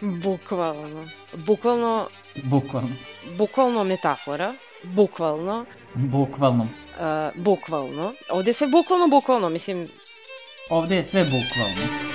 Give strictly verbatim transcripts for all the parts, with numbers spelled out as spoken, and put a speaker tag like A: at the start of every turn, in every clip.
A: Bukvalno. Bukvalno...
B: Bukvalno.
A: Bukvalno metafora. Bukvalno.
B: Bukvalno.
A: Uh, bukvalno. Ovde je sve bukvalno, bukvalno, mislim...
B: Ovde je sve bukvalno.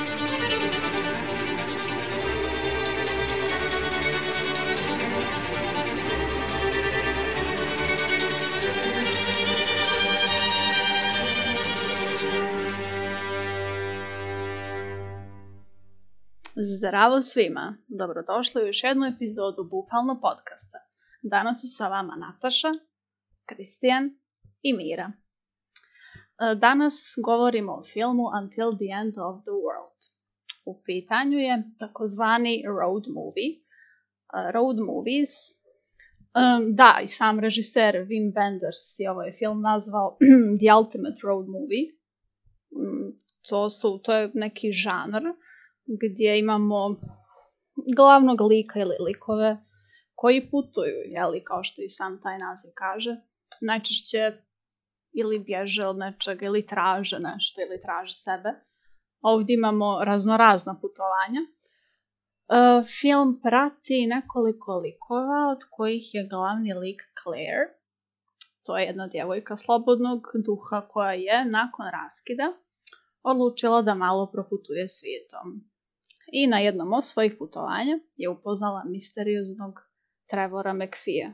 C: Zdravo svima, dobrodošli u još jednu epizodu Bukvalno podcasta. Danas su sa vama Nataša, Kristijan i Mira. Danas govorimo o filmu Until the End of the World. U pitanju je takozvani road movie. Road movies. Da, i sam režiser Wim Wenders je ovaj film nazvao The Ultimate Road Movie. To, su, to je neki žanr gdje imamo glavnog lika ili likove koji putuju, jeli, kao što i sam taj naziv kaže, najčešće ili bježe od nečega ili traže nešto ili traže sebe. Ovdje imamo raznorazna putovanja. E, film prati nekoliko likova od kojih je glavni lik Claire. To je jedna djevojka slobodnog duha koja je nakon raskida odlučila da malo proputuje svijetom. I na jednom od svojih putovanja je upoznala misterioznog Trevora McPhee,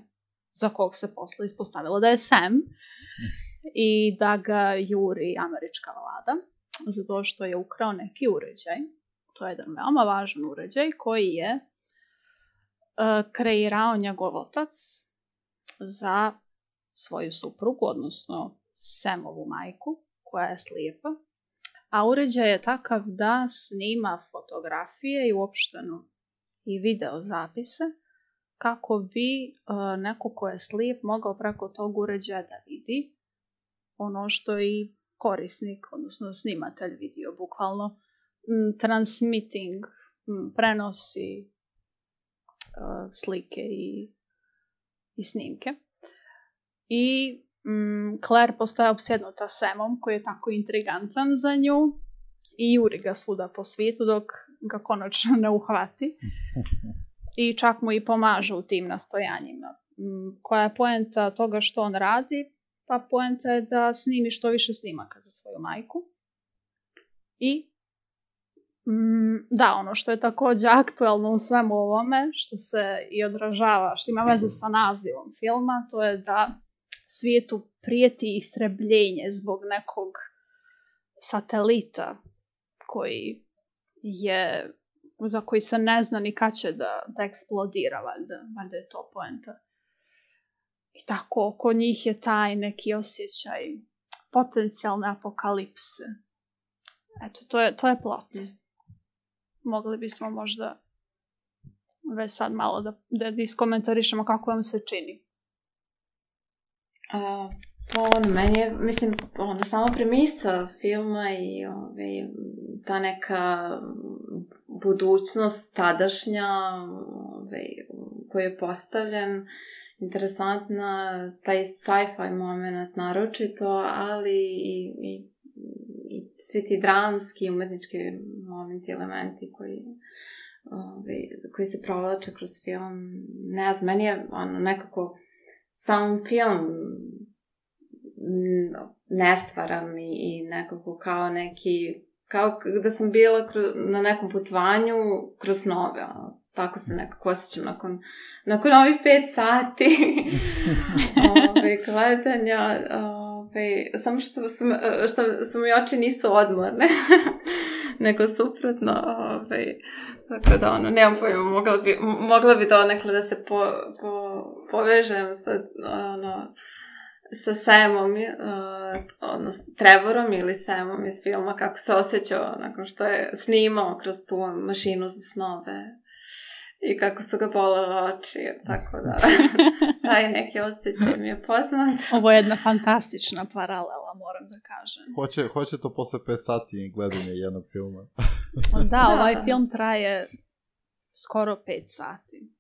C: za kog se posle ispostavilo da je Sam i da ga juri američka vlada, zato što je ukrao neki uređaj. To je jedan veoma važan uređaj koji je uh, kreirao njegov otac za svoju suprugu, odnosno Samovu majku, koja je slijepa. A uređaj je takav da snima fotografije i uopšteno i video zapise kako bi uh, neko ko je slijep mogao preko tog uređaja da vidi ono što i korisnik, odnosno snimatelj vidio, bukvalno m, transmitting, m, prenosi uh, slike i, i snimke. I Mm, Claire postaje opsjednuta Samom koji je tako intrigantan za nju i juri ga svuda po svijetu dok ga konačno ne uhvati i čak mu i pomaže u tim nastojanjima. Mm, koja je poenta toga što on radi? Pa poenta je da snimi što više snimaka za svoju majku. I mm, da, ono što je također aktualno u svemu ovome, što se i odražava, što ima veze sa nazivom filma, to je da svijetu prijeti istrebljenje zbog nekog satelita koji je, za koji se ne zna ni kad će da, da eksplodira, valjda, valjda je to poenta. I tako, oko njih je taj neki osjećaj potencijalne apokalipse. Eto, to je, to je plot. Mogli bismo možda već sad malo da, da iskomentarišemo kako vam se čini.
D: Uh, on, meni je, mislim, onda sama premisa filma i ove, ta neka budućnost tadašnja ove, koji je postavljen, interesantna, taj sci-fi moment naročito, ali i, i, i svi ti dramski, umetnički momenti, elementi koji, ove, koji se provlače kroz film. Ne znam, meni je ono, nekako sam film nestvaran i nekako kao neki, kao da sam bila na nekom putovanju kroz snove. Tako se nekako osjećam nakon, nakon ovih pet sati ove, gledanja. Ove, samo što su, što su mi oči nisu odmorne, nego suprotno. Ove, tako da, ono, nemam pojma, mogla bi, mogla bi donekle da se po, po, povežem sa, ono, sa Samom, uh, odnosno Trevorom ili Samom iz filma, kako se osjećao nakon što je snimao kroz tu mašinu za snove i kako su ga bolele oči, tako da taj neki osjećaj mi je poznat.
C: Ovo je jedna fantastična paralela, moram da kažem.
E: Hoće, hoće to posle pet sati gledanja jednog filma.
C: Da, ovaj film traje skoro pet sati.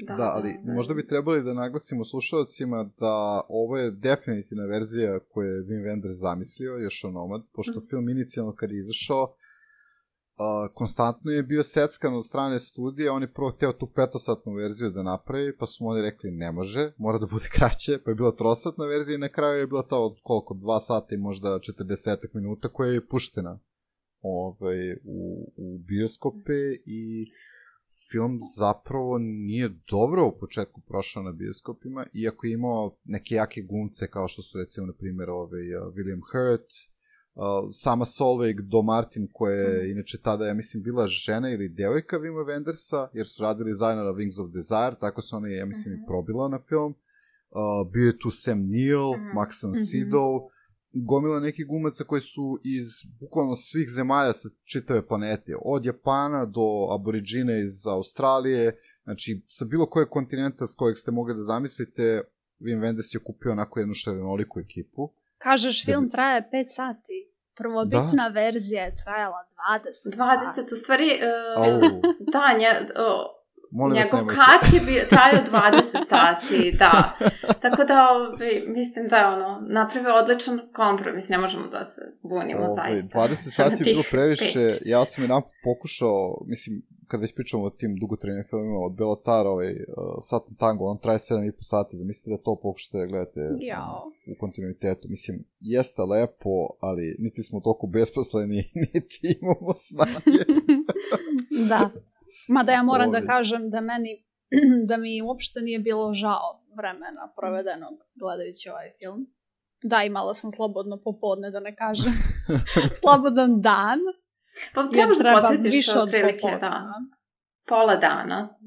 E: Da, da, ali da, da. Možda bi trebali da naglasimo slušalcima da ovo je definitivna verzija koju je Wim Wenders zamislio, još onomad, pošto mm. film inicijalno kad je izašao, Uh, konstantno je bio seckan od strane studije, on je prvo hteo tu petosatnu verziju da napravi, pa su mu oni rekli ne može, mora da bude kraće, pa je bila trosatna verzija i na kraju je bila ta od koliko, dva sata i možda četrdeset minuta koja je puštena ovaj, u, u bioskope i film zapravo nije dobro u početku prošao na bioskopima, iako je imao neke jake glumce kao što su recimo na primjer ovaj, uh, William Hurt, Uh, sama Solveig Do Martin, koja je mm. inače tada, ja mislim, bila žena ili devojka Wima Wendersa, jer su radili zajedno na Wings of Desire, tako su ona, ja mislim, mm-hmm. i probila na film. Uh, bio je tu Sam Neill, mm-hmm. Maxim Sidow, mm-hmm. gomila nekih glumaca koji su iz bukvalno svih zemalja sa čitave planete, od Japana do aboriđina iz Australije, znači sa bilo kojeg kontinenta s kojeg ste mogli da zamislite, Wim Wenders je kupio onako jednu šarenoliku ekipu.
C: Kažeš, film traje pet sati. Prvobitna da. verzija je trajala dvadeset.
D: dvadeset, u stvari, uh,
E: Au.
D: da, nje, uh, njegov kat je bio, trajao dvadeset sati, da. Tako da, ovaj, mislim da je ono, napravio odličan kompromis, ne možemo da se bunimo
E: Ove,
D: zaista.
E: dvadeset sati je bilo previše, pet. Ja sam i nam pokušao, mislim, kad već pričamo o tim dugotrajnim filmima, od Belotara, ovaj, uh, Saturn Tango, on traje sedam i po sati, zamislite da to pokušate da gledate
C: Jao.
E: u kontinuitetu. Mislim, jeste lepo, ali niti smo toliko besposleni, niti imamo snage.
C: Da. Mada ja moram Ove. da kažem da meni, da mi uopšte nije bilo žao vremena provedenog gledajući ovaj film. Da, imala sam slobodno popodne, da ne kažem. Slobodan dan.
D: Pa trebaš da posjetiš otprilike, da. Pola dana.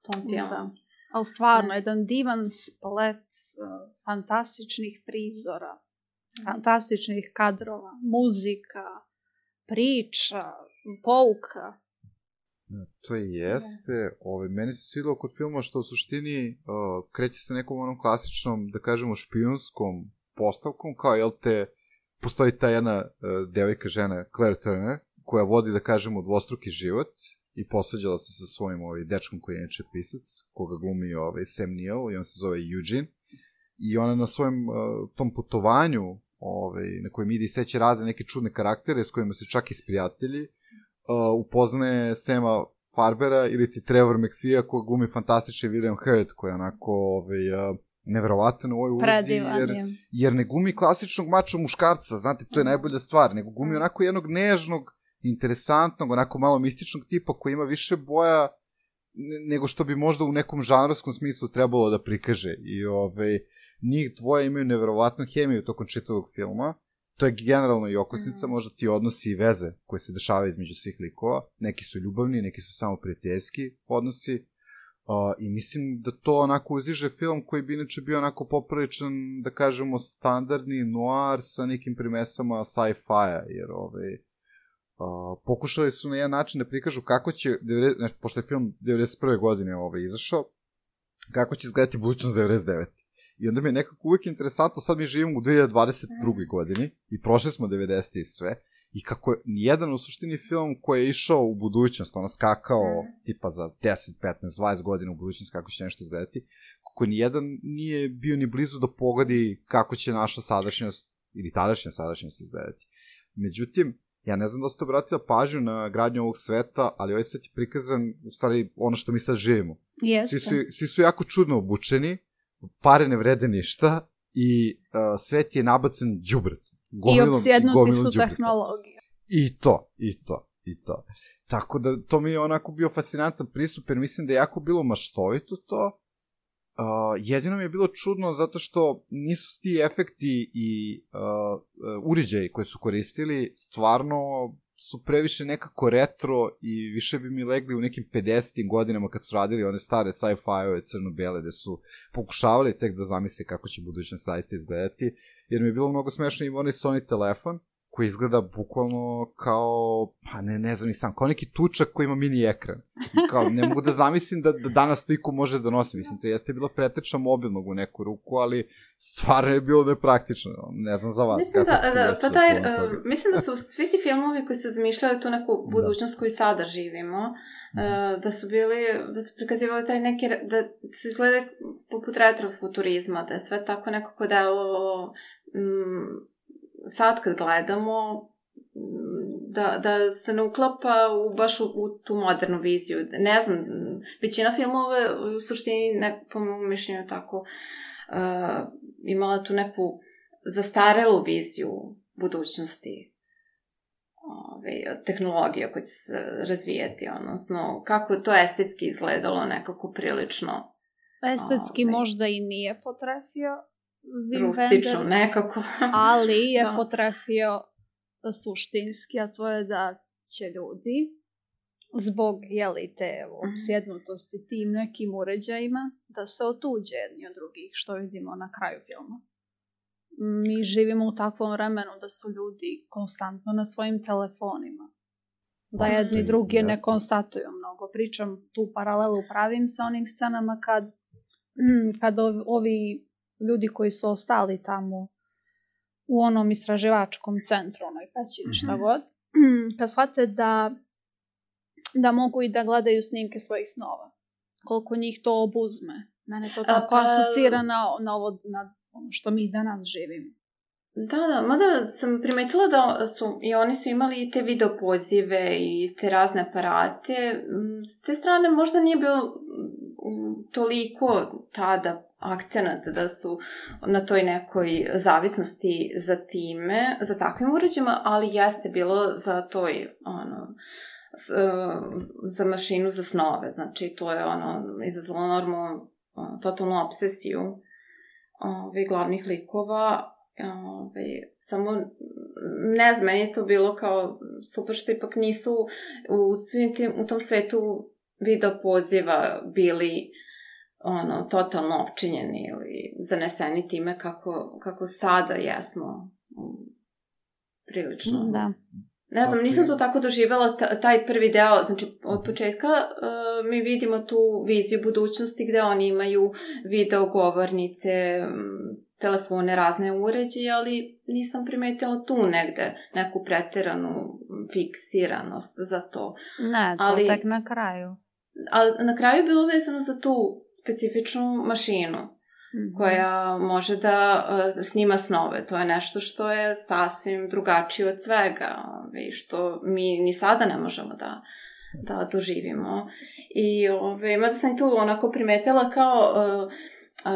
D: Tom filmu. Da.
C: Ali stvarno, jedan divan splet uh, fantastičnih prizora, mm. fantastičnih kadrova, muzika, priča, pouka.
E: To je jeste. Ove, meni se svidilo kod filma što u suštini uh, kreće se nekom onom klasičnom, da kažemo, špijunskom postavkom, kao, jel te, postoji ta jedna uh, devojka žena, Claire Turner, koja vodi, da kažemo, dvostruki život i posveđala se sa svojim ovaj, dečkom koji je inače pisac, koga glumi ovaj, Sam Neill i on se zove Eugene. I ona na svojem uh, tom putovanju ovaj, na kojem ide i seće razne neke čudne karaktere s kojima se čak isprijatelji, uh, upoznaje Sama Farbera ili ti Trevor McPhee koja glumi fantastični William Hurt koji je onako ovaj, uh, neverovatan u ovoj ulozi, jer, jer ne glumi klasičnog mača muškarca, znate, to je najbolja stvar, nego glumi onako jednog nežnog, interesantnog, onako malo mističnog tipa koji ima više boja nego što bi možda u nekom žanrovskom smislu trebalo da prikaže. I ovaj, njih dvoje imaju neverovatnu hemiju tokom čitavog filma. To je generalno i okosnica, mm. možda ti odnosi i veze koje se dešavaju između svih likova. Neki su ljubavni, neki su samo prijateljski odnosi. Uh, I mislim da to onako uzdiže film koji bi inače bio onako popriličan, da kažemo, standardni noir sa nekim primesama sci-fi-a, jer ovaj, uh, pokušali su na jedan način da prikažu kako će, znači, pošto je film devedeset prve godine ovaj, izašao, kako će izgledati budućnost devedeset devete. I onda mi je nekako uvijek interesantno, sad mi živimo u dve hiljade dvadeset druge godini i prošli smo devedesete i sve, i kako je nijedan u suštini film koji je išao u budućnost, ono skakao mm. tipa za deset, petnaest, dvadeset godina u budućnost kako će nešto izgledati, kako nijedan nije bio ni blizu da pogodi kako će naša sadašnjost ili tadašnja sadašnjost izgledati. Međutim, ja ne znam da ste obratila pažnju na gradnju ovog sveta, ali ovaj svet je prikazan u stvari ono što mi sad živimo. Svi su, svi su jako čudno obučeni, pare ne vrede ništa i uh, svet je nabacen đubret.
C: I opsjednuti su tehnologije.
E: I to, i to, i to. Tako da to mi je onako bio fascinantan pristup, jer mislim da je jako bilo maštovito to. Uh, jedino mi je bilo čudno zato što nisu ti efekti i uh, uređaji koje su koristili stvarno su previše nekako retro i više bi mi legli u nekim pedesetim godinama kad su radili one stare sci-fi-ove crno-bele gde su pokušavali tek da zamisle kako će budućnost zaista izgledati, jer mi je bilo mnogo smešno i onaj Sony telefon koji izgleda bukvalno kao, pa ne, ne znam i sam, kao neki tučak koji ima mini ekran. Kao, ne mogu da zamislim da, da danas to iko može da nosi. Mislim, to jeste bilo preteča mobilnog u neku ruku, ali stvarno je bilo nepraktično. Ne znam za vas,
D: mislim
E: kako
D: da,
E: ste
D: da,
E: se
D: pa taj, uh, mislim da su svi ti filmovi koji su zmišljali tu neku budućnost da. koju sada živimo, uh, da su bili, da su prikazivali taj neki, da su izgledali poput retrofuturizma, da je sve tako nekako da je ovo... Mm, sad kad gledamo, da, da se ne uklapa u, baš u, u tu modernu viziju. Ne znam, većina filmova u suštini, ne, po mojom mišljenju tako, uh, imala tu neku zastarelu viziju budućnosti, ove, tehnologija koja će se razvijati, odnosno kako to estetski izgledalo nekako prilično.
C: Estetski ove, možda i nije potrefio Wim
D: rustično
C: Wenders,
D: nekako.
C: ali je
D: da.
C: potrefio suštinski, a to je da će ljudi zbog, jeli, te opsjednutosti tim nekim uređajima da se otuđe jedni od drugih, što vidimo na kraju filma. Mi živimo u takvom vremenu da su ljudi konstantno na svojim telefonima. Da jedni drugi ne konstatuju mnogo. Pričam tu paralelu pravim sa onim scenama kad, kad ovi ljudi koji su ostali tamo u onom istraživačkom centru, onoj pećini, šta god, kad shvate da, da mogu i da gledaju snimke svojih snova. Koliko njih to obuzme. Mene to tako A, pa... asocira na, na ovo, na ono što mi danas živimo.
D: Da, da, mada sam primetila da su, i oni su imali te video pozive i te razne aparate. S te strane možda nije bio toliko tada akcenat da su na toj nekoj zavisnosti za time, za takvim uređajima, ali jeste bilo za toj, ono, s, za mašinu za snove. Znači, to je ono, izazvalo normalno totalnu obsesiju ove, glavnih likova. Ove, samo, ne znam, meni je to bilo kao super što ipak nisu u, svim tim, u tom svetu video poziva bili ono, totalno opčinjeni ili zaneseni time kako, kako sada jesmo prilično.
C: Da.
D: Ne znam, nisam to tako doživjela, taj prvi deo, znači od početka uh, mi vidimo tu viziju budućnosti gde oni imaju video govornice, telefone, razne uređaje, ali nisam primetila tu negde neku preteranu fiksiranost za to.
C: Ne, to ali, tek na kraju.
D: Ali na kraju je bilo vezano za tu specifičnu mašinu mm-hmm. koja može da uh, snima snove. To je nešto što je sasvim drugačije od svega i što mi ni sada ne možemo da, da doživimo. I ove, mada sam i tu onako primetila kao... Uh, Uh,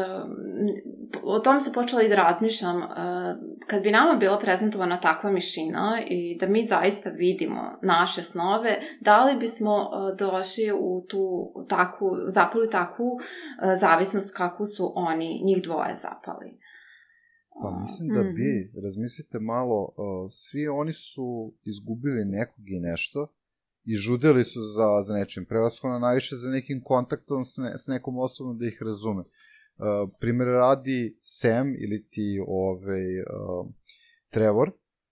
D: o tom se počela i da razmišljam. Uh, kad bi nama bila prezentovana takva mašina i da mi zaista vidimo naše snove, da li bismo uh, došli u tu takvu, zapali takvu uh, zavisnost kakvu su oni, njih dvoje zapali?
E: Pa mislim da bi, razmislite malo, uh, svi oni su izgubili nekog i nešto i žudeli su za, za nečim, prevashodno najviše za nekim kontaktom s, ne, s nekom osobom da ih razume. Uh, primjer radi Sam ili ti ovaj, uh, Trevor,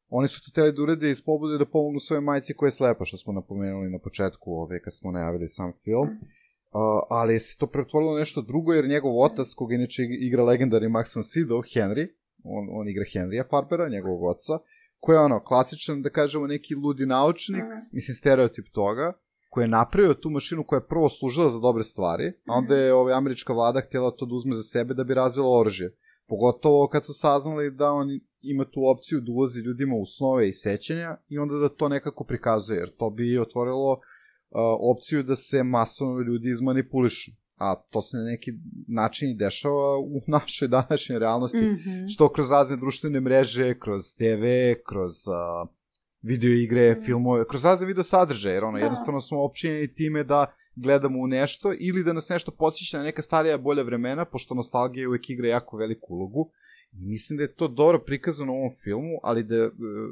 E: oni su to teli da urede iz pobude da pomognu svoje majci koja je slepa, što smo napomenuli na početku ovaj, kad smo najavili sam film, uh, ali se to pretvorilo nešto drugo jer njegov otac, koga inače igra legendarni Max von Sydow, Henry, on, on igra Henrya Farpera, njegovog oca, koji je ono, klasičan, da kažemo, neki ludi naučnik, mislim stereotip toga, koji je napravio tu mašinu koja je prvo služila za dobre stvari, a onda je ovaj, američka vlada htjela to da uzme za sebe da bi razvila oružje. Pogotovo kad su saznali da on ima tu opciju da ulazi ljudima u snove i sećanja i onda da to nekako prikazuje, jer to bi otvorilo uh, opciju da se masovno ljudi izmanipulišu. A to se na neki način i dešava u našoj današnjoj realnosti, mm-hmm. što kroz razne društvene mreže, kroz te ve, kroz... Uh, video igre, mm. filmove, kroz razne video sadržaje, jer ono, da. Jednostavno smo općenjeni time da gledamo u nešto ili da nas nešto podsjeća na neka starija bolja vremena, pošto nostalgija uvek igra jako veliku ulogu. I mislim da je to dobro prikazano u ovom filmu, ali da,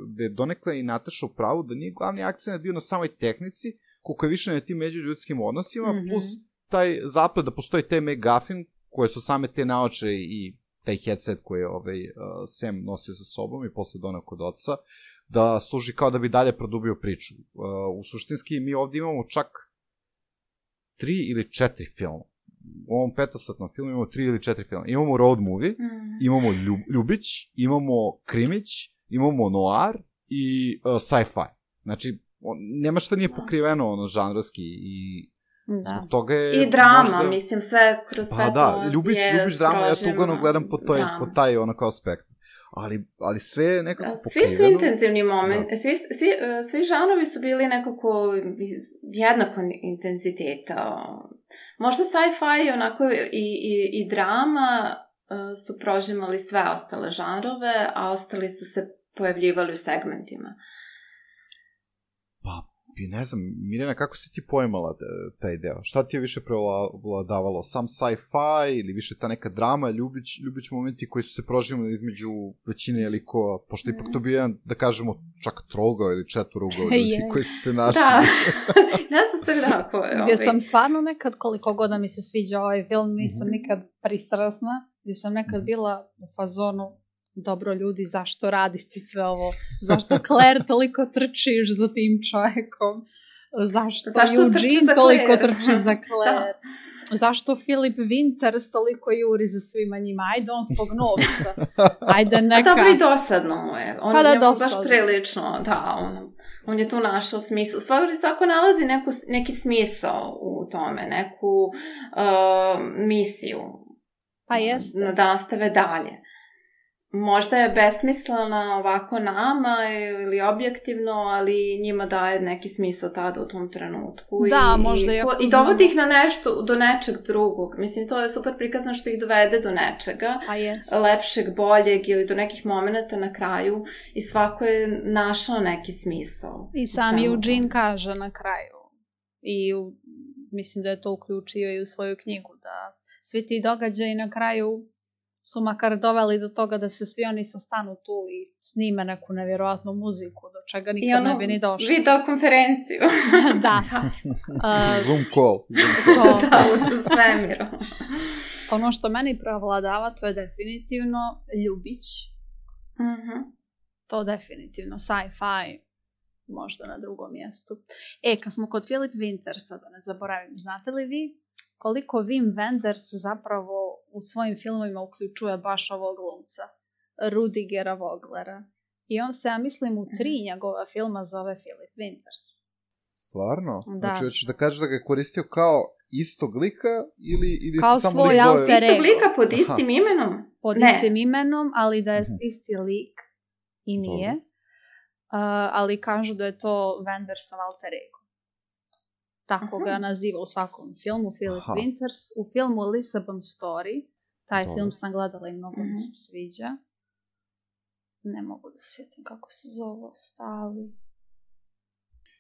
E: da je donekle i Nataša u pravu, da nije glavni akcent bio na samoj tehnici, koliko je više na tim međuljudskim odnosima, mm-hmm. plus taj zapad da postoji taj McGuffin, koje su same te naoče i taj headset koji je ovaj, uh, Sam nosio sa sobom i posle donao kod oca, da služi kao da bi dalje produbio priču. Uh, u suštinski mi ovdje imamo čak tri ili četiri filma. U ovom petosatnom filmu imamo tri ili četiri filma. Imamo road movie, mm. imamo ljub, Ljubić, imamo Krimić, imamo noir i uh, sci-fi. Znači, on, nema šta nije pokriveno ono žanrovski i
C: da.
E: Zbog toga je
D: i drama,
E: možda...
D: mislim, sve kroz sve
E: pa,
D: to
E: da, Ljubić, Ljubić drama, ja to uglavnom gledam po, toj, po taj onako aspekt. ali, ali sve je nekako
D: da,
E: pokriveno.
D: Svi su intenzivni moment, da. svi, svi, svi žanovi su bili nekako jednako intenziteta. Možda sci-fi onako i, i, i drama su prožimali sve ostale žanrove, a ostali su se pojavljivali u segmentima.
E: Pa, i ne znam, Mirjana, kako si ti pojmala taj deo? Šta ti je više prevladavalo? Sam sci-fi ili više ta neka drama, ljubić, ljubić momenti koji su se proživali između većine likova, pošto ipak to bi jedan, da kažemo, čak trogao ili četvorugao ljudi yes. koji su se našli.
D: Da, ja sam se grako.
C: Gdje sam stvarno nekad, koliko god mi se sviđa ovaj film, nisam mm-hmm. nikad pristrasna, gdje sam nekad bila u fazonu, dobro ljudi, zašto raditi sve ovo? Zašto Claire toliko trčiš za tim čovjekom? Zašto, zašto Eugene toliko trči za Claire? Da. Zašto Philip Winters toliko juri za svima njima? Ajde on zbog novca. Ajde neka...
D: A dobro i dosadno mu je. On
C: pa da,
D: je
C: dosadno.
D: Baš prilično, da, on, on je tu našao smisao. Svako, svako nalazi neku, neki smisao u tome, neku uh, misiju.
C: Pa jeste.
D: Da nastave dalje. Možda je besmislena ovako nama ili objektivno, ali njima daje neki smisao tada u tom trenutku.
C: Da,
D: i,
C: možda
D: i, i dovodi ih na nešto, do nečeg drugog. Mislim, to je super prikazano što ih dovede do nečega.
C: A jest.
D: Lepšeg, boljeg ili do nekih momenta na kraju i svako je našao neki smisao.
C: I sam Eugene kaže na kraju. I u, mislim da je to uključio i u svoju knjigu, da svi ti događaji na kraju su makar doveli do toga da se svi oni sastanu tu i snime neku nevjerojatnu muziku, do čega nikad ono, ne bi ni došli.
D: Video konferenciju.
C: Da.
E: uh, Zoom call. Zoom call.
D: Da, u svemiru.
C: Ono što meni prevladava, to je definitivno ljubić.
D: Mm-hmm.
C: To definitivno. Sci-fi možda na drugom mjestu. E, kad smo kod Philip Wintersa, da ne zaboravim, znate li vi koliko Wim Wenders zapravo u svojim filmovima uključuje baš ovog glumca, Rudigera Voglera. I on se, ja mislim, u tri njegova filma zove Philip Winters.
E: Stvarno?
C: Da.
E: Znači, hoćeš da kažeš da ga je koristio kao istog lika ili, ili
C: kao
E: se samo
C: svoj alter ego.
D: Istog lika pod istim Aha. imenom?
C: Pod
D: ne.
C: istim imenom, ali da je isti lik i nije. Uh, ali kažu da je to Wendersov alter ego. Tako Aha. ga naziva u svakom filmu, Philip Aha. Winters. U filmu Lisbon Story, taj Dobre. film sam gledala i mnogo mm-hmm. mi se sviđa. Ne mogu da se sjetim kako se zove, stali.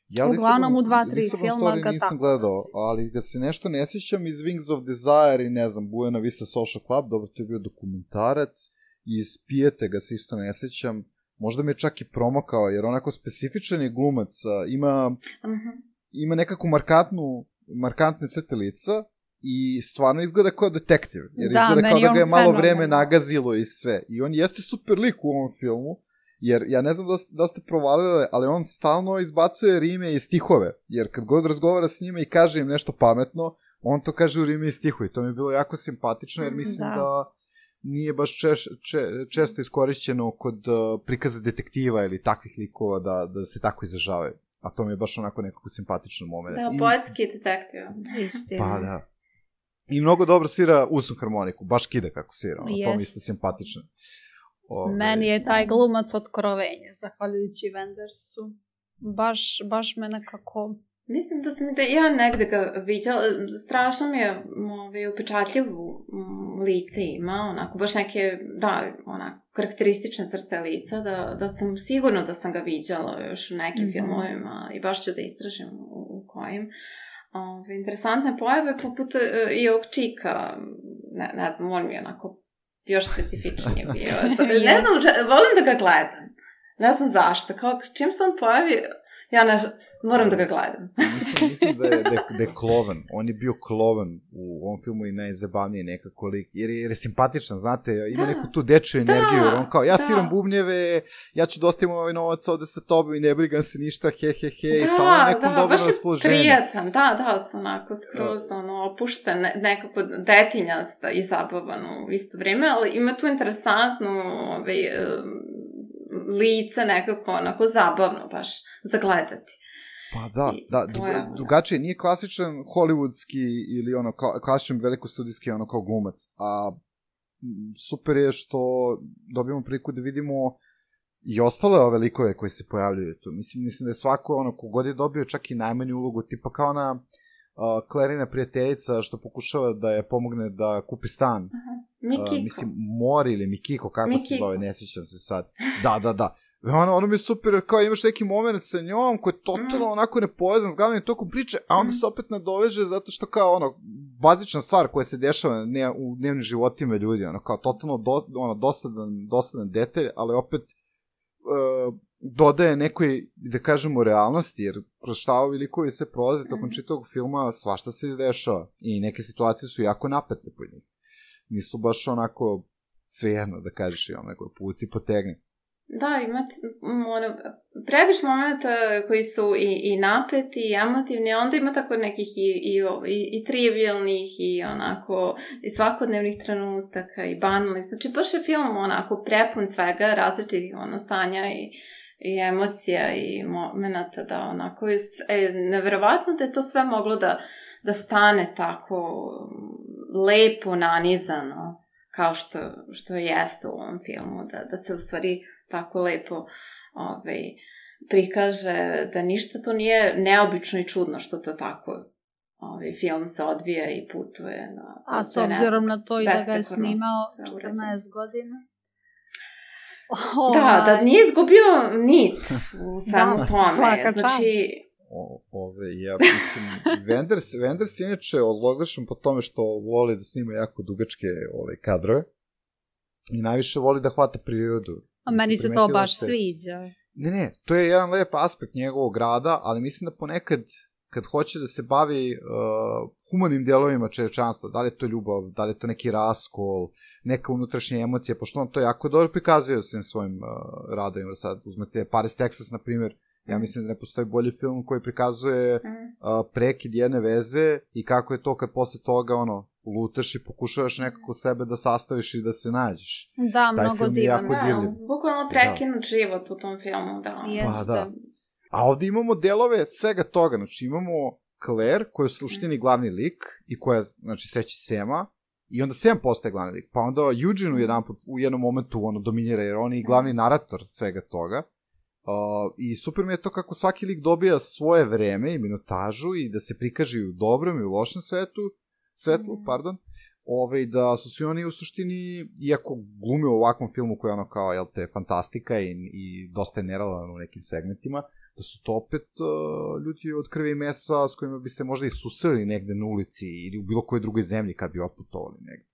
E: Ja
C: Uglavnom
E: Lisbon,
C: u dva, tri
E: Lisbon
C: filma
E: Story
C: ga
E: nisam
C: tako
E: gledao,
C: naziva.
E: ali da se nešto ne sjećam iz Wings of Desire i ne znam, Buena Vista Social Club, dobro, to je bio dokumentarac, i iz Pijete ga se isto ne sjećam. Možda mi je čak i promakao, jer onako specifičan je glumac, ima... Uh-huh. ima nekako markantnu, markantne crte lica i stvarno izgleda kao detektiv. Jer
C: da,
E: izgleda kao da ga je malo
C: fenomen.
E: vreme nagazilo i sve. I on jeste super lik u ovom filmu, jer ja ne znam da, da ste provalili, ali on stalno izbacuje rime i stihove. Jer kad god razgovara s njima i kaže im nešto pametno, on to kaže u rime i stihu. I to mi je bilo jako simpatično, jer mislim da, da nije baš češ, če, često iskorišćeno kod uh, prikaza detektiva ili takvih likova da, da se tako izražavaju. A to mi je baš onako nekako simpatičan moment.
D: Da, poetski detektiv.
C: Istina.
E: Pa da. I mnogo dobro svira usnu harmoniku, baš kida kako svira, ono, to mi isto simpatično.
C: Ove... Meni je taj glumac otkrovenje, zahvaljujući Wendersu. Baš, baš me nekako...
D: Mislim da sam da ja negde ga viđala, strašno mi je ovaj, upečatljivu lice ima, onako, baš neke, da, onako, karakteristične crte lica, da, da sam sigurno da sam ga viđala još u nekim mm-hmm. filmovima i baš ću da istražim u, u kojim. Ove, interesantne pojave, poput uh, i ovog čika, ne, ne znam, on mi je onako još specifičnije bio. Ne znam, volim da ga gledam, ne znam zašto, kao čim sam pojavio, ja ne, moram da ga gledam.
E: mislim, mislim da, je, da, je, da je klovan. On je bio klovan u ovom filmu i najzabavnije nekako lik. Jer je, jer je simpatičan, znate, ima da, neku tu dečju energiju. Jer on kao, ja da. sviram bubnjeve, ja ću dostavim ovaj novac ovde sa tobom i ne brigam se ništa, he, he, he. Da, i stalno nekom da, dobro raspoloženje.
D: Da, baš je prijetan. Da, da, sam onako skroz ono, opušten, nekako detinjasta i zabavan u isto vrijeme, ali ima tu interesantnu ovaj, lice nekako onako zabavno baš za gledati.
E: Pa da, I, da, dru- drugačije, nije klasičan hollywoodski ili ono klasičan velikostudijski ono kao glumac, a super je što dobijemo priliku da vidimo i ostale ove likove koji se pojavljuju tu. Mislim, mislim da je svako, ono, kogod je dobio čak i najmanju ulogu, tipa kao ona uh, Clarina prijateljica što pokušava da je pomogne da kupi stan.
D: Aha. Mikiko.
E: Uh, mislim, Mori ili Mikiko, kako
D: Mikiko.
E: se zove, ne sjećam se sad. Da, da, da. Ono, ono mi je super, kao imaš neki moment sa njom koji je totalno mm. onako nepovezan s glavnim tokom priče, a onda mm. se opet nadoveže zato što kao ono, bazična stvar koja se dešava ne, u dnevnim životima ljudi, ono, kao totalno do, ono, dosadan, dosadan detalj, ali opet uh, dodaje nekoj, da kažemo, realnosti, jer kroz šta ovi likovi se prolaze mm. tokom čitavog filma, svašta se dešava i neke situacije su jako napete po njih. Nisu baš onako svejedno, da kažeš, ono, neko puci potegni.
D: Da, imate, ono, previše momenta koji su i, i napeti i emotivni, onda ima tako nekih i, i, i, i trivialnih i onako i svakodnevnih trenutaka i banalnih. Znači, baš je film onako prepun svega, različitih ono, stanja i, i emocija i momenta da onako je e, neverovatno da je to sve moglo da, da stane tako lepo nanizano kao što, što jeste u ovom filmu, da, da se u stvari tako lepo ovaj, prikaže da ništa to nije neobično i čudno što to tako ovaj, film se odvija i putuje. Na,
C: A s obzirom na to i da ga je snimao četrnaest godina?
D: Da, da nije izgubio nit u svemu tome.
C: Svaka
D: znači,
E: O, ove, ja mislim, Wenders, Wenders je inače odlogašen po tome što voli da snima jako dugačke ove, kadrove i najviše voli da hvata prirodu.
C: A meni se to baš se... sviđa.
E: Ne, ne, to je jedan lep aspekt njegovog rada, ali mislim da ponekad, kad hoće da se bavi uh, humanim dijelovima čovječanstva, da li je to ljubav, da li je to neki raskol, neka unutrašnja emocija, pošto on to jako dobro prikazuje svim svojim uh, radovima. Sad uzmete Paris, Texas, na primjer, ja mislim da ne postoji bolji film koji prikazuje uh, prekid jedne veze i kako je to kad posle toga, ono, lutaš i pokušavaš nekako sebe da sastaviš i da se nađeš.
C: Da,
E: taj
C: mnogo divan.
D: Da, bukvalno prekinut da. život u tom filmu, da.
C: Jeste.
E: Pa, da. A ovdje imamo delove svega toga, znači imamo Claire, koja je u suštini glavni lik i koja, znači, seći Sema, i onda Sam postaje glavni lik, pa onda Eugene u, jedan, u jednom momentu ono, dominira, jer on je glavni narator svega toga. Uh, I super mi je to kako svaki lik dobija svoje vreme i minutažu i da se prikaže i u dobrom i u lošem svetu, svetlu, mm. pardon, Ove, da su svi oni u suštini, iako glume u ovakvom filmu koji je ono kao, jel te, fantastika i, i dosta je nerealan u nekim segmentima, da su to opet uh, ljudi od krvi i mesa s kojima bi se možda i susreli negde na ulici ili u bilo kojoj drugoj zemlji kad bi otputovali negde.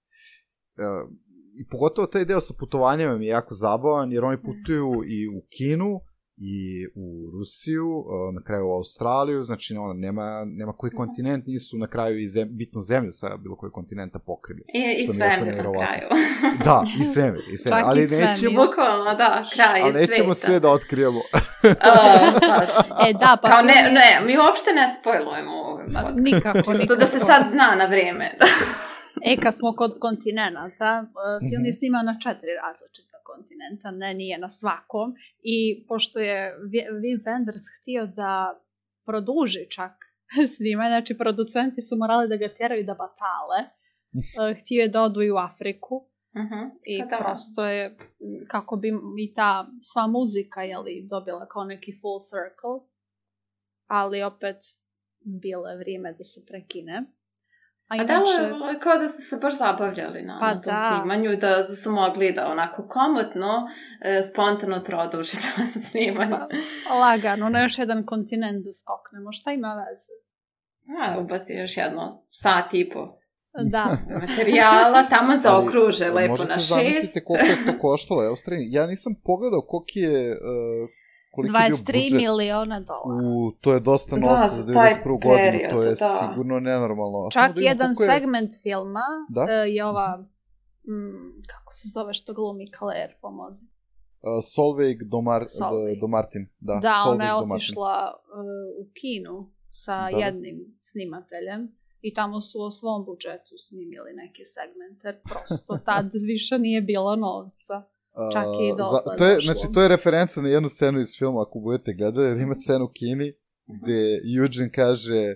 E: Uh, I pogotovo taj deo sa putovanjama mi je jako zabavan, jer oni putuju i u Kinu, i u Rusiju, na kraju u Australiju, znači ono, nema, nema koji kontinent nisu na kraju i zem, bitnu zemlju sa bilo koji kontinenta pokrili.
D: I, i svemir na kraju.
E: Da, i svemir. I svemir.
C: Čak
E: ali
C: i svemir.
E: Nećemo,
D: bukvalno, da, kraj
E: ali nećemo
D: sveta.
E: sve da otkrijemo.
D: uh, pa,
C: e, da, pa...
D: Kao ne, ne, mi uopšte ne spojlujemo ovaj podcast.
C: Nikako, nikako.
D: Da se sad zna na vrijeme.
C: E, kad smo kod kontinenta, film je snimao na četiri različita kontinenta, ne, nije na svakom. I pošto je Wim Wenders htio da produži čak snimanje, znači producenti su morali da ga tjeraju da batale, htio je da odu i u Afriku.
D: Uh-huh.
C: I
D: da.
C: prosto je, kako bi i ta sva muzika, jeli, dobila kao neki full circle, ali opet bilo je vrijeme da se prekine. A,
D: A
C: inače...
D: da, je kao da su se baš zabavljali na,
C: pa
D: na tom
C: da.
D: snimanju, da, da su mogli da onako komotno, e, spontano produži to snimanje.
C: Pa, lagano, na još jedan kontinent da skoknemo, šta ima veze?
D: A, ubaci još jedno sat i po.
C: Da.
D: Materijala, tamo zaokruže lepo na šest.
E: Možete zamisliti koliko je to koštalo, evo strani. Ja nisam pogledao koliko je... Uh...
C: dvadeset tri miliona dolara.
E: U, to je dosta novca za devedeset prvu godinu, to je da. sigurno nenormalno. A
C: čak
E: da
C: jedan
E: je...
C: segment filma
E: da?
C: uh, je ova, mm, kako se zove što glumi Claire, pomozi.
E: Uh, Solveig Domar,
C: Solveig.
E: Domartin. Da,
C: da
E: Solveig
C: ona je
E: Domartin.
C: otišla uh, u Kinu sa da. jednim snimateljem i tamo su o svom budžetu snimili neke segmente, prosto tad više nije bilo novca. Čak i
E: Uh, za, to je, znači, to je referenca na jednu scenu iz filma, ako budete gledali, jer ima scenu u Kini, gde Eugene kaže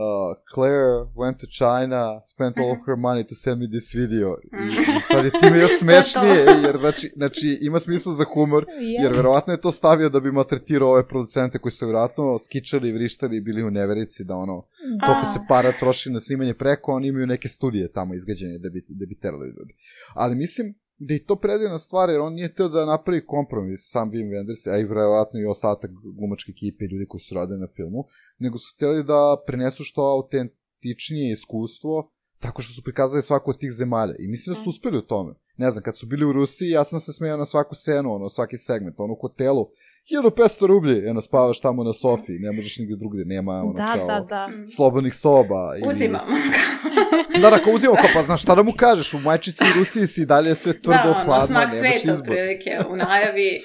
E: uh, Claire went to China, spent all of her money to send me this video. I, i sad je time još smešnije, jer znači, znači ima smisla za humor, jer verovatno je to stavio da bi maltretirao ove producente koji su verovatno skičali, vrištali i bili u neverici da ono, toliko se para troši na snimanje preko, oni imaju neke studije tamo izgađene da bi, da bi terali ljudi. Ali mislim da je to predivna stvar, jer on nije teo da napravi kompromis, sam Wim Wenders, a i verovatno i ostatak glumačke ekipe i ljudi koji su radili na filmu, nego su hteli da prenesu što autentičnije iskustvo, tako što su prikazali svaku od tih zemalja. I mislim da su uspeli u tome. Ne znam, kad su bili u Rusiji, ja sam se smejao na svaku scenu, ono, svaki segment, ono, u hotelu, hiljadu petsto rublji, eno, spavaš tamo na sofi, ne možeš nigde drugde, nema, ono,
C: da,
E: kao,
C: da, da.
E: slobodnih soba. Ili...
D: Uzimamo.
E: Da, da, kao uzimamo, kao, pa znaš, šta da mu kažeš, u majčici i Rusiji si dalje sve tvrdo, da, hladno, nemaš izbor. Da, ono, smak sveta,
D: prilike, u najavi.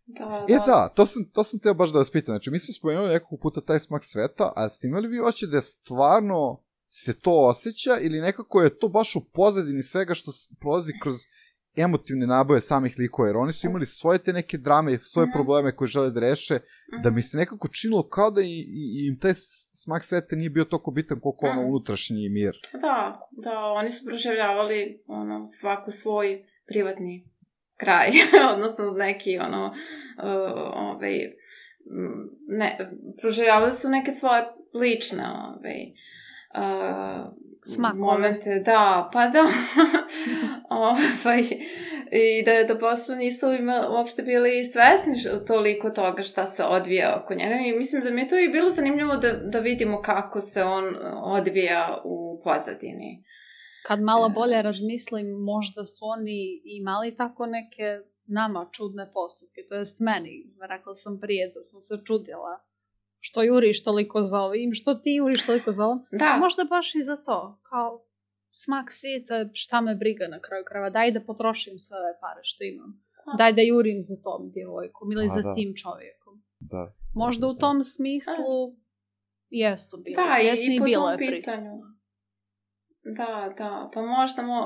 D: Da, da.
E: E da, to sam, to sam teo baš da vas pitam, znači, mi smo spomenuli nekog puta taj smak sveta, ali ste imali vi oće da je stvarno se to osjeća ili nekako je to baš u pozadini svega što prolazi kroz emotivne naboje samih likova, jer oni su imali svoje te neke drame i svoje probleme koje žele da reše, da mi se nekako činilo kao da i, i, im taj smak sveta nije bio toliko bitan koliko ono unutrašnji mir.
D: Da, da, oni su proživljavali ono, svaku svoj privatni kraj, odnosno neki ono, uh, ovaj, ne, proživljavali su neke svoje lične ovaj, Uh, momente, da, pa da. ovaj, I da, da posle nisu ima, uopšte bili svesni toliko toga šta se odvija oko njega. I mislim da mi je to i bilo zanimljivo da, da vidimo kako se on odvija u pozadini.
C: Kad malo bolje razmislim, možda su oni imali tako neke nama čudne postupke. To jest meni, rekla sam prije da sam se čudila. Što juriš toliko za ovim, što ti juriš toliko za ovim.
D: Da.
C: Možda baš i za to. Kao smak svijeta, šta me briga na kraju krajeva. Daj da potrošim sve ove pare što imam. A. Daj da jurim za tom djevojkom ili A, za da. tim čovjekom.
E: Da.
C: Možda u tom smislu A. jesu bili
D: da,
C: svjesni i bilo je
D: prisutno. Da, da. Pa možda, mo,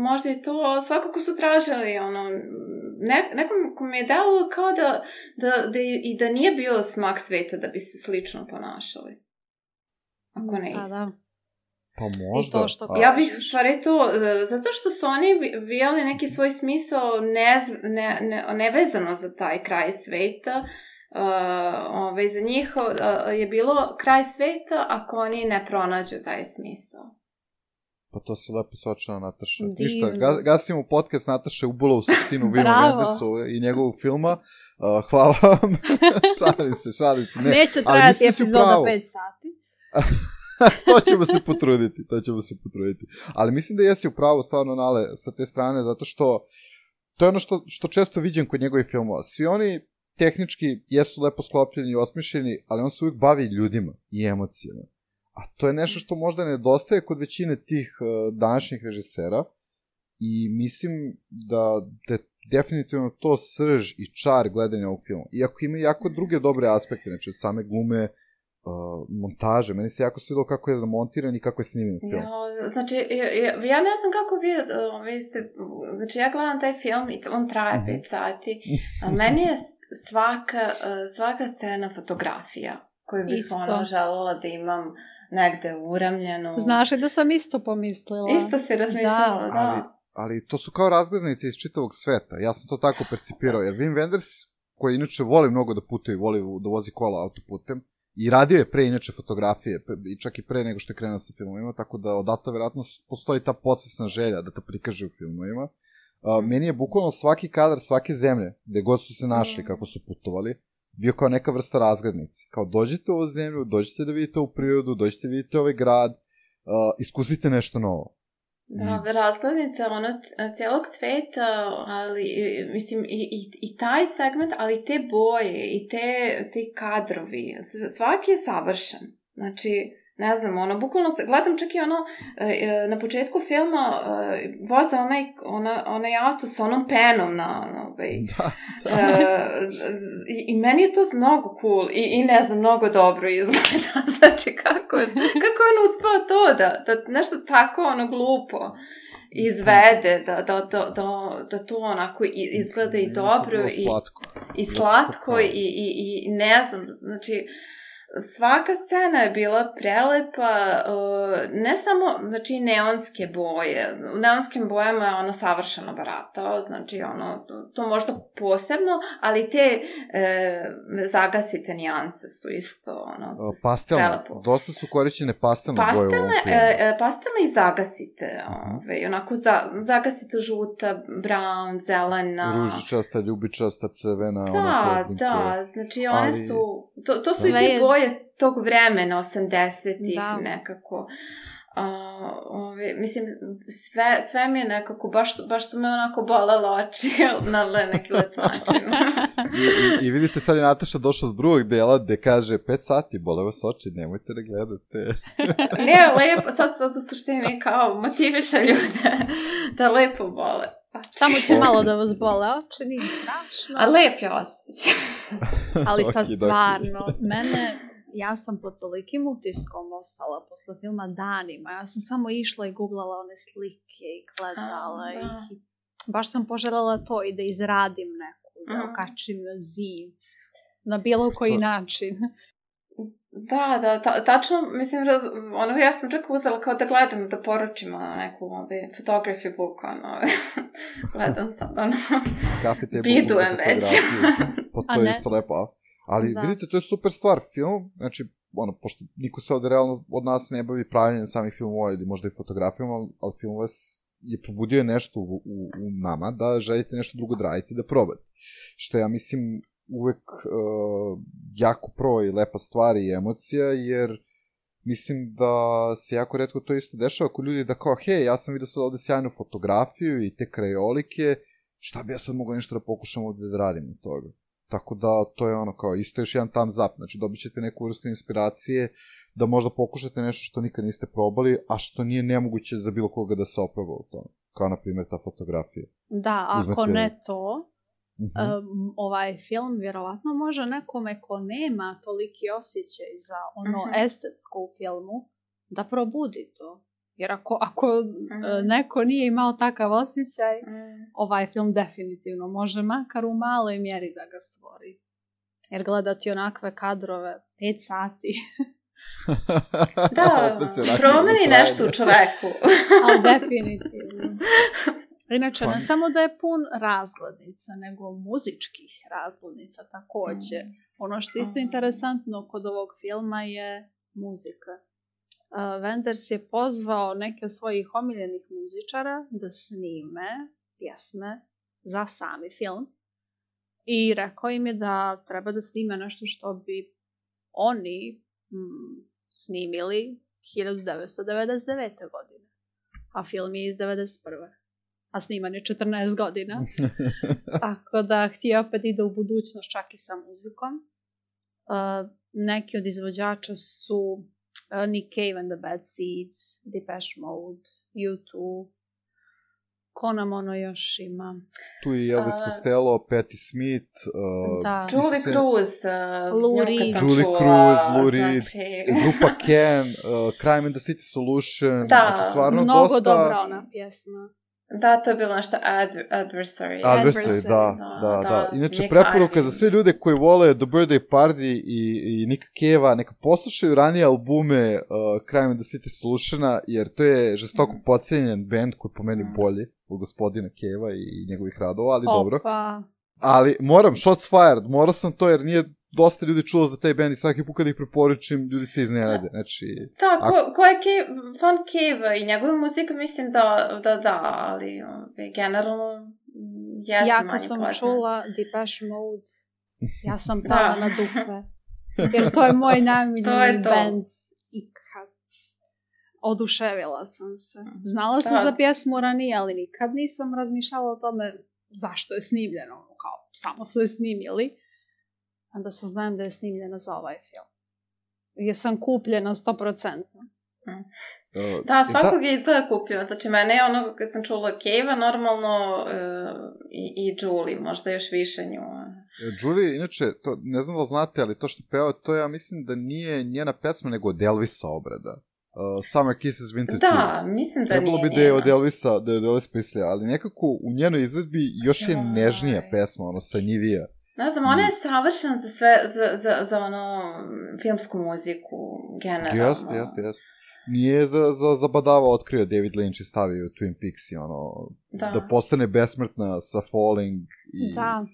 D: možda i to svakako su tražili ono... Ne, nekom mi je dalo kao da, da, da i da nije bio smak sveta da bi se slično ponašali. Ako ne isto.
C: Da, da.
E: Pa možda.
C: To što
D: ja bih stvari to, zato što su oni vijeli neki svoj smisao ne, ne, ne, nevezano za taj kraj sveta. Uh, ovaj, za njih uh, je bilo kraj sveta ako oni ne pronađu taj smisao.
E: Pa to se lepo sočila Nataša. Ništa, ga, gasimo podcast Nataše ubula u suštinu Wima Wendersu i njegovog filma. Uh, hvala vam. šalim se, šalim se. Ne.
C: Neće trajati epizoda pet sati.
E: to ćemo se potruditi, to ćemo se potruditi. Ali mislim da jesi upravo stvarno, Nale, sa te strane, zato što to je ono što, što često viđem kod njegovih filmova. Svi oni tehnički jesu lepo sklopljeni i osmišljeni, ali on se uvijek bavi ljudima i emocijama. A to je nešto što možda nedostaje kod većine tih uh, današnjih režisera i mislim da, da je definitivno to srž i čar gledanja ovog filma. Iako ima jako druge dobre aspekte, znači od same glume, uh, montaže, meni se jako svidilo kako je montiran i kako je snimljen film.
D: Ja, znači, ja, ja ne znam kako vi, uh, vi ste, znači ja gledam taj film i on traje mm-hmm. pet sati, a meni je svaka, uh, svaka scena fotografija koju bih ono želela da imam negde uramljeno.
C: Znaš da sam isto pomislila.
D: Isto si razmišljala, da.
E: Ali, ali to su kao razglednice iz čitavog sveta. Ja sam to tako percipirao, jer Wim Wenders, koji inače voli mnogo da putuje, voli da vozi kola autoputem, i radio je pre inače fotografije, i čak i pre nego što je krenuo sa filmovima, tako da odatle vjerojatno postoji ta podsvesna želja da to prikaže u filmovima. Uh, meni je bukvalno svaki kadar, svake zemlje, gde god su se našli, kako su putovali, bio kao neka vrsta razglednice. Kao dođite u ovu zemlju, dođite da vidite ovu prirodu, dođite da vidite ovaj grad, uh, iskusite nešto novo.
D: Da, I... razglednica ona cijelog sveta, ali mislim i, i, i taj segment, ali te boje i te, te kadrovi, svaki je savršen. Znači, ne znam, ono, bukvalno se, gledam čak i ono, na početku filma voze onaj, ona, onaj auto sa onom penom na, na ovaj,
E: da, da.
D: Uh, i, i meni je to mnogo cool i, i ne znam, mnogo dobro izgleda, znači kako, kako je on uspeo to, da, da nešto tako ono glupo izvede, da, da, da, da, da to onako izgleda i dobro i
E: slatko,
D: i, slatko i, i, i ne znam, znači svaka scena je bila prelepa, ne samo, znači, neonske boje. U neonskim bojama je ono savršeno baratao, znači, ono, to možda posebno, ali te e, zagasite nijanse su isto, ono,
E: pastelne,
D: prelepo.
E: Dosta su korišćene pastelne boje u ovom filmu.
D: E, pastelne i zagasite, ove, onako, za, zagasite žuta, brown, zelena.
E: Ružičasta, ljubičasta, crvena.
D: Da,
E: ono,
D: da, znači, one
E: ali...
D: su, to, to su i te boje tog vremena, osamdesetih nekako. Uh, ove, mislim, sve, sve mi je nekako, baš, baš su me onako bolele oči na neki lep način.
E: I, i, I vidite, sad je Nataša došla do drugog dela gde kaže pet sati, bole vas oči, nemojte da gledate.
D: Ne, lepo, sad, sad u suštini kao motiviše ljude da lepo bole.
C: Samo će malo da vas bole oči, nije strašno.
D: A lep je osjećaj.
C: Ali sad stvarno, mene, ja sam pod tolikim utiskom ostala posle filma danima. Ja sam samo išla i googlala one slike i gledala A, ih. Baš sam poželjela to i da izradim neku, da mm. okačim na zid, na bilo koji način.
D: Da, da, ta, tačno, mislim, raz, ono, ja sam čak uzela kao da gledam, da poručim na neku ove, photography book, ono, gledam sad, ono, bidujem već.
E: Pa to je isto lepo, ali da. Vidite, to je super stvar, film, znači, ono, pošto niko se ovde realno od nas ne bavi pravljenjem samih filmova ili možda i fotografijama, ali film vas je probudio nešto u, u, u nama da želite nešto drugo da radite i da probate. Što ja mislim uvek uh, jako pro i lepa stvar i emocija, jer mislim da se jako retko to isto dešava ako ljudi da kao, hej, ja sam vidio sad ovde sjajnu fotografiju i te krajolike, šta bi ja sad mogla nešto da pokušam ovde da radim od toga. Tako da to je ono kao, isto još jedan thumbs up, znači dobit ćete neku vrstu inspiracije da možda pokušate nešto što nikad niste probali, a što nije nemoguće za bilo koga da se oproba u tome, kao na primjer ta fotografija.
C: Da, ako Uzmete... ne to, uh-huh. um, ovaj film vjerovatno može nekome ko nema toliki osjećaj za ono uh-huh. estetsko u filmu, da probudi to. Jer ako, ako uh-huh. neko nije imao takav osjećaj, uh-huh. ovaj film definitivno može makar u maloj mjeri da ga stvori. Jer gledati onakve kadrove pet sati.
D: Da, promeni nešto u čoveku.
C: Ali definitivno. Inače, ne samo da je pun razglednica, nego muzičkih razglednica također. Mm. Ono što je isto interesantno kod ovog filma je muzika. Uh, Wenders je pozvao neke od svojih omiljenih muzičara da snime pjesme za sami film. I rekao im je da treba da snime nešto što bi oni mm, snimili hiljadu devetsto devedeset devete. godine. A film je iz devedeset prve. A sniman je četrnaest godina. Tako da htio opet ide u budućnost čak i sa muzikom. Uh, neki od izvođača su uh, Nick Cave and the Bad Seeds, Depeche Mode, U dva, ko nam ono još ima?
E: Tu je Elvis uh, Costello, Patti Smith, uh,
D: da. Julie se... Cruz, uh,
C: Lou Reed,
E: Julie Cruz, Lou Reed, znači... grupa Can, uh, Crime and the City Solution,
D: da.
E: Znači stvarno
C: mnogo
E: dosta...
C: dobra ona pjesma.
D: Da, to je bilo nešto adver- adversary.
E: Adversary, da, da, da. da. Inače, preporuka za sve ljude koji vole The Birthday Party i, i Nicka Cave-a, neka poslušaju ranije albume uh, Crime and the City Solutiona, jer to je žestoko mm. podcenjen band koji po meni bolji od gospodina Cave-a i njegovih radova, ali
C: Opa.
E: dobro. Ali moram, shots fired, morao sam to jer nije dosta ljudi čulo za taj band i svaki put kad ih preporučim, ljudi se iznenade. Znači,
D: da, ko, ako... ko je Cave, fan Cave i njegova muzika, mislim da da, da ali ove, generalno jesam
C: ja
D: manje
C: kad sam
D: poznat.
C: čula Depeche Mode, ja sam pala na dupe. Jer to je moj najmiljeni band ikad. Oduševila sam se. Znala sam da. za pjesmu ranije, ali nikad nisam razmišljala o tome zašto je snimljeno. Kao, samo su je snimili. Onda saznajem da je snimljena za ovaj film. Jer sam kupljena sto posto.
D: Hmm. Uh, da, svakog da... je izgleda kupio. Znači, mene je ono, kad sam čula Cave-a, normalno uh, i, i Julie, možda još više nju.
E: Julie, inače, to, ne znam da znate, ali to što peva, to ja mislim da nije njena pesma, nego od Elvisa obrada. Uh, Summer Kisses, Winter
D: da,
E: Tears.
D: Da, mislim da
E: Trebalo
D: nije
E: bi da je od Elvisa, da je od Elvisa pisala, ali nekako u njenoj izvedbi još je nežnija pesma, ono, sanjivija.
D: Ne znam, ona je savršena za sve, za, za, za ono, filmsku muziku, generalno.
E: Jeste, jeste, jeste. Nije za, za, za badava otkrio David Lynch i stavio Twin Peaks i ono, da, da postane besmrtna sa Falling i...
C: Da.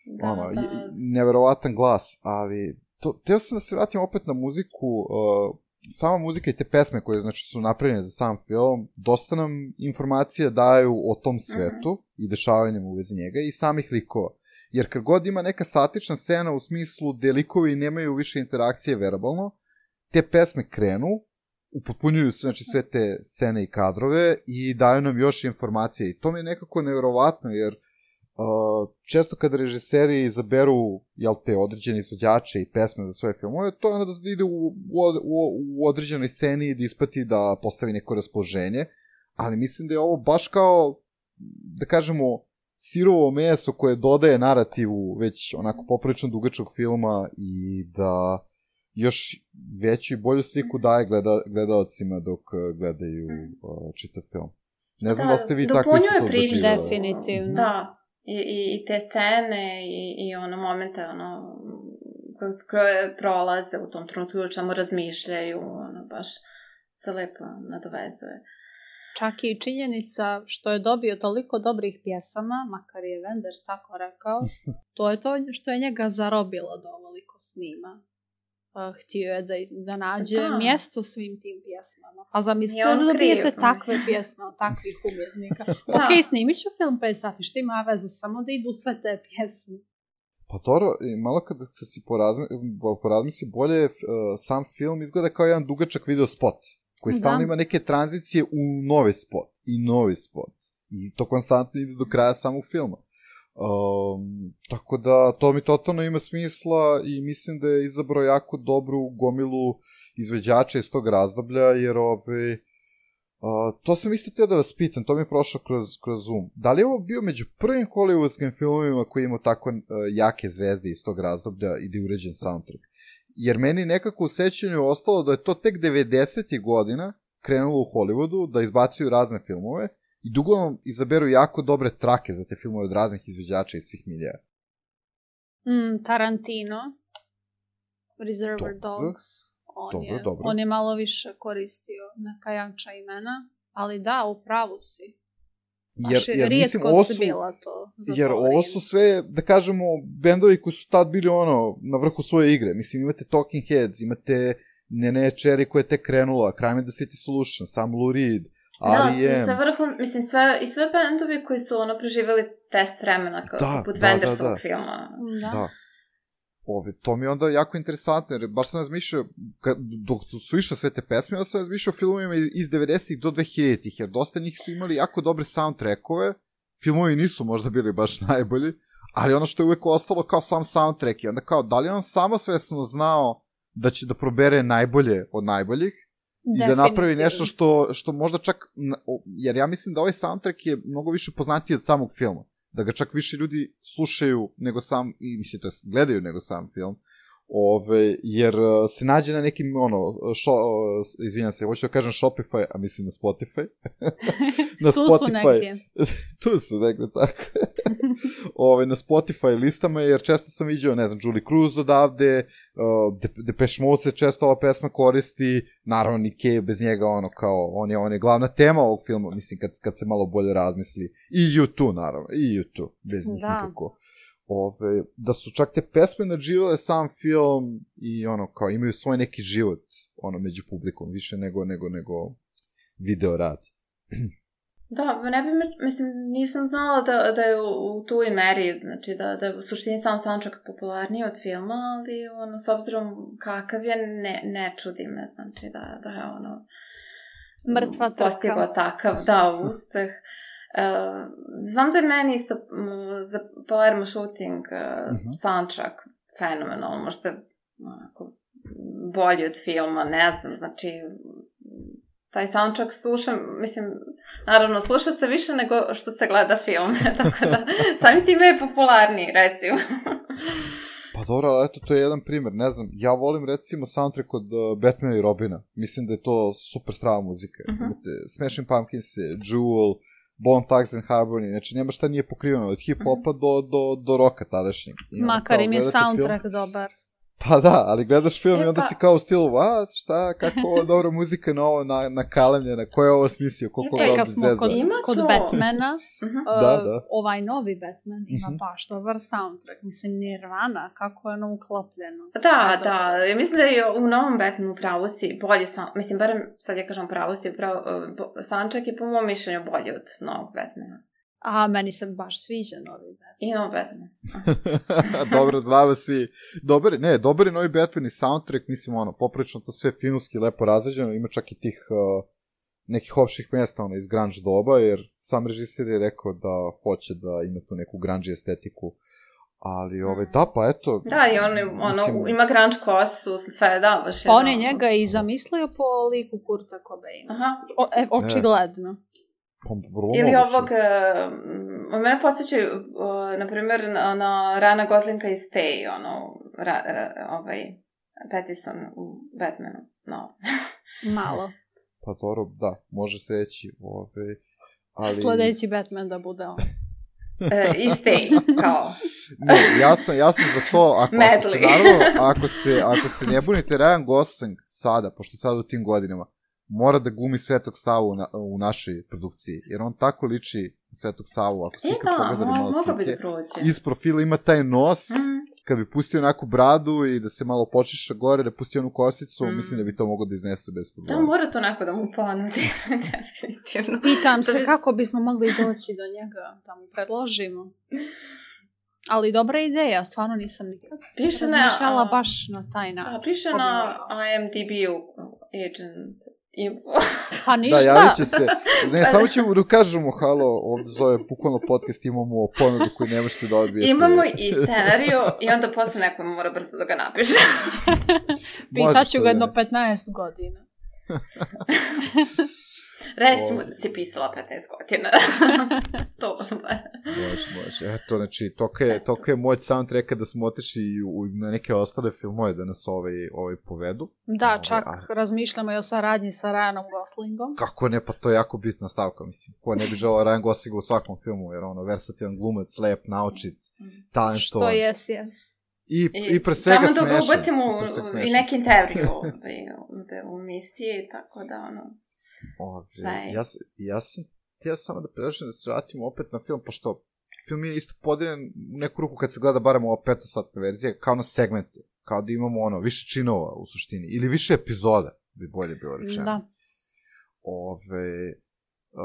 E: Da, ono, da. Neverovatan glas, ali to, teo sam da se vratim opet na muziku, uh, sama muzika i te pesme koje znači, su napravljene za sam film, dosta nam informacija daju o tom svetu uh-huh. i dešavanjem u vezi njega i samih likova. Jer kad god ima neka statična scena u smislu gde likovi nemaju više interakcije verbalno, te pesme krenu, upotpunjuju znači, sve te scene i kadrove i daju nam još informacije. I to mi je nekako neverovatno, jer uh, često kada režiseri izaberu jel te, određene izvođače i pesme za svoje filmove, to je ono da ide u, u, u određenoj sceni i da ispati da postavi neko raspoloženje, ali mislim da je ovo baš kao, da kažemo, sirovo meso koje dodaje narativu već onako poprilično dugačkog filma i da još veću i bolju sliku daje gleda, gledalcima dok gledaju uh, čitav film. Ne znam da, da ste vi tako isto to doživjeli.
C: Definitivno.
D: Da, I, i, i te scene i, i ono momente ono, koje prolaze u tom trenutku, o čemu razmišljaju, ono, baš se lepo nadovezuje.
C: Čak i činjenica što je dobio toliko dobrih pjesama, makar je Wenders tako rekao, to je to što je njega zarobilo da ovoliko snima. Htio je da, da nađe da. mjesto svim tim pjesmama. A zamislite da dobijete takve pjesme od takvih umjetnika. Ok, snimit ću film pet sati, što ima veze, samo da idu sve te pjesme.
E: Pa dobro, malo kada se si porazmi, porazmisli bolje, uh, sam film izgleda kao jedan dugačak video spot, koji stalno da. ima neke tranzicije u novi spot i novi spot. I to konstantno ide do kraja samog filma. Um, tako da to mi totalno ima smisla i mislim da je izabrao jako dobru gomilu izvođača iz tog razdoblja, jer ove, uh, to sam isto teo da vas pitam, to mi je prošlo kroz, kroz Zoom. Da li je ovo bio među prvim hollywoodskim filmovima koji imao tako uh, jake zvezde iz tog razdoblja i da je uređen soundtrack? Jer meni nekako u sećanju ostalo da je to tek devedesetih godina krenulo u Hollywoodu da izbacuju razne filmove i uglavnom izaberu jako dobre trake za te filmove od raznih izvođača iz svih milija.
C: Mm, Tarantino, Reservoir dobro. Dogs, on, dobro, je, dobro. on je malo više koristio neka jača imena, ali da, u pravu si. Baš jer, jer rijetko mislim, su bila to. Za
E: jer
C: to
E: ovo su sve, da kažemo, bendovi koji su tad bili ono, na vrhu svoje igre. Mislim, imate Talking Heads, imate Nene Cherry koja je tek krenula, Crime and the City Solution, sam Lou Reed,
D: da, sve vrhu, mislim, sve, i sve bendovi koji su ono preživjeli test vremena kao da, poput da, Wendersovog da, da. filma.
C: Da.
E: da. Ove, to mi je onda jako interesantno, jer baš sam razmišljao, kad, dok su išle sve te pesme, ja sam razmišljao o filmovima iz devedesetih do dvehiljaditih, jer dosta njih su imali jako dobre soundtrackove, filmovi nisu možda bili baš najbolji, ali ono što je uvek ostalo kao sam soundtrack, i onda kao, da li on samo svesno znao da će da probere najbolje od najboljih, i da napravi nešto što, što možda čak, jer ja mislim da ovaj soundtrack je mnogo više poznatiji od samog filma, da ga čak više ljudi slušaju nego sam, i mislim, to je gledaju nego sam film, ove, jer se nađe na nekim, ono, šo, izvinjam se, hoću da kažem Shopify, a mislim na Spotify. na
C: tu
E: Spotify.
C: su negdje.
E: tu su negdje, tako. ove, na Spotify listama, jer često sam vidio, ne znam, Julie Cruz odavde, uh, Depeche Mode se često ova pesma koristi, naravno Nick Cave, bez njega, ono, kao, on je, on je glavna tema ovog filma, mislim, kad, kad se malo bolje razmisli. I U dva, naravno, i U dva, bez njih
C: da.
E: nikako. Ove, da su čak te pesme nadživale sam film i ono, kao imaju svoj neki život ono, među publikom, više nego, nego, nego video rad.
D: Da, ne bi me, mislim, nisam znala da, da je u, u toj meri, znači da, da je u suštini sam soundtrack popularniji od filma, ali ono, s obzirom kakav je, ne, ne čudi me, znači da, da je ono...
C: Mrtva trka.
D: Postigao takav, da, uspeh. Uh, znam da je meni isto um, za Palermo Shooting uh, uh-huh. soundtrack fenomenalno, možda onako, bolji od filma, ne znam, znači taj soundtrack slušam, mislim, naravno sluša se više nego što se gleda film, tako da samim time je popularniji, recimo.
E: Pa dobro, ali eto, to je jedan primjer, ne znam, ja volim recimo soundtrack od uh, Batmana i Robina, mislim da je to super strava muzika, uh-huh. imate Smashing Pumpkins, Jewel, Bone Thugs and Harmony, znači nema šta nije pokriveno, od hip-hopa do, do, do roka tadašnjeg.
C: Makar im je soundtrack film, dobar.
E: Pa da, ali gledaš film e, i onda
D: pa...
E: si kao u stilu, a šta, kako ovo dobra muzika na ovo na, nakalemljena, ko je ovo smislio, koliko
C: e,
E: ga
C: kad smo kod, kod Batmana, uh-huh. uh,
E: da, da.
C: ovaj novi Batman ima uh-huh. baš dobar soundtrack, mislim Nirvana, kako je ono uklopljeno.
D: Da, da, ja mislim da je u novom Batmanu pravo si bolje, sam, mislim, barem sad ja kažem pravo si, pravo, uh, soundtrack je po mom mišljenju bolji od novog Batmana.
C: A, meni se baš sviđa novi Batman.
D: I novi Batman.
E: Dobro, znamo svi. Dobar, ne, dobar je novi Batman i soundtrack, mislim, ono, poprilično to sve filmski lepo razređeno, ima čak i tih uh, nekih opštih mjesta, ono, iz grunge doba, jer sam režiser je rekao da hoće da ima tu neku grunge estetiku, ali, ove, da, pa eto...
D: Da, i on, ono, mislim, ima grunge kosu, sve, da, baš je...
C: Pa on je njega i zamislio po liku Kurta Cobaina.
D: Aha.
C: O, e, očigledno. E.
D: Ili ovog, uh, mene podsjećaju, uh, na primjer, na, na Rana Goslinga i Stay, ono, ra, ra, ovaj, Pattison u Batmanu, no.
C: Malo.
E: Pa dobro, da, može se reći, ove, ali...
C: Sledeći Batman da bude on.
D: e, I Stay, kao.
E: Ne, ja sam, ja sam za to, ako, ako se, naravno, ako se, ako se ne bunite, Ryan Gosling sada, pošto sada u tim godinama, mora da glumi Svetog Savu u, na, u našoj produkciji, jer on tako liči Svetog Savu, ako ste ikad e, pogledali malo slike, iz profila ima taj nos, mm. kad bi pustio onako bradu i da se malo počiša gore, da pusti onu kosicu, mm. mislim da bi to moglo da iznese bez problema.
D: Da, mora to onako da mu ponudi, definitivno.
C: Pitam se kako bismo mogli doći do njega, da mu predložimo. Ali dobra ideja, stvarno nisam nikad razmišljala baš na taj način.
D: A, piše na I M D B-u agent. I...
C: Pa ništa.
E: Da, javit će se. Znači, samo ćemo da kažemo, halo, ovdje zove bukvalno podcast, imamo ponudu koju ne možete da odbijete.
D: Imamo i scenariju i onda posle neko mora brzo da ga napiše.
C: Pisat ću ga jedno petnaest godina.
D: Recimo da si pisala petnaest godina. To
E: može, može. Eto, znači, toka je, toka je moć soundtracka da smo otišli u, na neke ostale filmove da nas ovaj, ovaj povedu.
C: Da,
E: ovaj,
C: čak
E: a...
C: razmišljamo i o saradnji sa Ryanom Goslingom.
E: Kako ne, pa to je jako bitna stavka, mislim. Ko ne bi želao Ryan Goslinga u svakom filmu, jer ono, versatilan glumac, lep, naučit, talentovan.
C: Što jes, jes.
E: I, I, i pre svega smešan.
D: Samo da ga ubacimo i neki intervju u misiji, tako da ono...
E: Ove, ja, ja sam htio samo da pređem da se vratimo opet na film, pošto film je isto podijeljen u neku ruku kad se gleda barem ova petosatna verzija, kao na segmente, kao da imamo ono, više činova u suštini, ili više epizoda, bi bolje bilo rečeno.
C: Da.
E: Ove,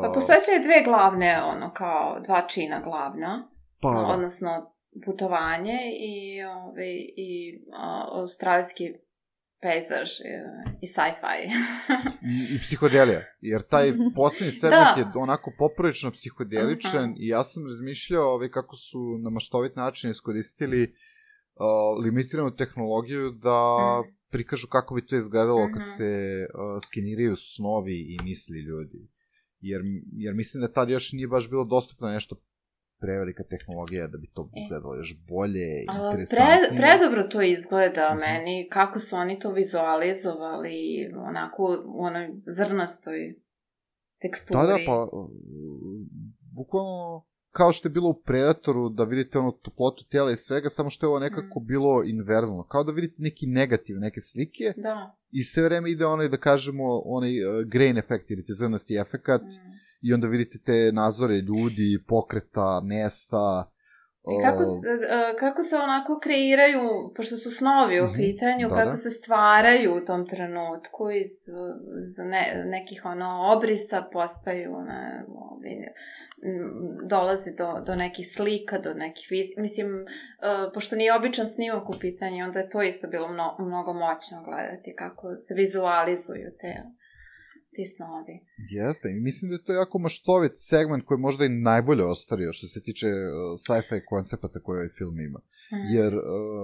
D: pa postoje se dve glavne, ono, kao dva čina glavna,
E: pa, da.
D: Odnosno putovanje i, ove, i a, australijski pejzaž i sci-fi.
E: I, I psihodelija, jer taj posljednji segment da. Je onako poprilično psihodeličan uh-huh. i ja sam razmišljao ove, kako su na maštovit način iskoristili uh, limitiranu tehnologiju da uh-huh. prikažu kako bi to izgledalo uh-huh. kad se uh, skeniraju snovi i misli ljudi. Jer, jer mislim da tad još nije baš bilo dostupno nešto prevelika tehnologija da bi to izgledalo još bolje, interesantnije.
D: Pre, predobro to izgleda uh-huh. meni, kako su oni to vizualizovali, onako u onoj zrnastoj teksturi.
E: Da, da, pa bukvalno kao što je bilo u Predatoru, da vidite onu toplotu tijela i svega, samo što je ovo nekako mm. bilo inverzno. Kao da vidite neki negativ, neke slike
D: da. I
E: sve vreme ide onaj, da kažemo, onaj uh, grain efekt ili te zrnasti efekat mm. i onda vidite te nazore ljudi, pokreta, mesta.
D: I kako se, uh, kako se onako kreiraju, pošto su snovi u uh-huh. pitanju, da, kako da. Se stvaraju u tom trenutku iz, iz ne, nekih ono obrisa postaju, ne, ovi, dolazi do, do nekih slika, do nekih viz... Mislim, uh, pošto nije običan snimak u pitanju, onda je to isto bilo mno, mnogo moćno gledati, kako se vizualizuju te... ti snovi.
E: Jeste, i mislim da je to jako maštovit segment koji možda i najbolje ostario što se tiče uh, sci-fi koncepata koje ovaj film ima. Mm. Jer uh,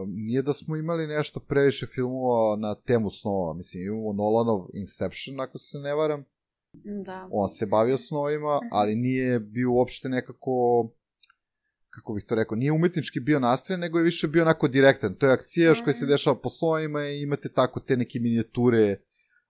E: nije da smo imali nešto previše filmova na temu snova. Mislim, imamo Nolanov Inception, ako se ne varam.
C: Da.
E: On se bavio snovima, mm. ali nije bio uopšte nekako, kako bih to rekao, nije umetnički bio nastrajan, nego je više bio onako direktan. To je akcija mm. koja se dešava po snovima i imate tako te neke minijature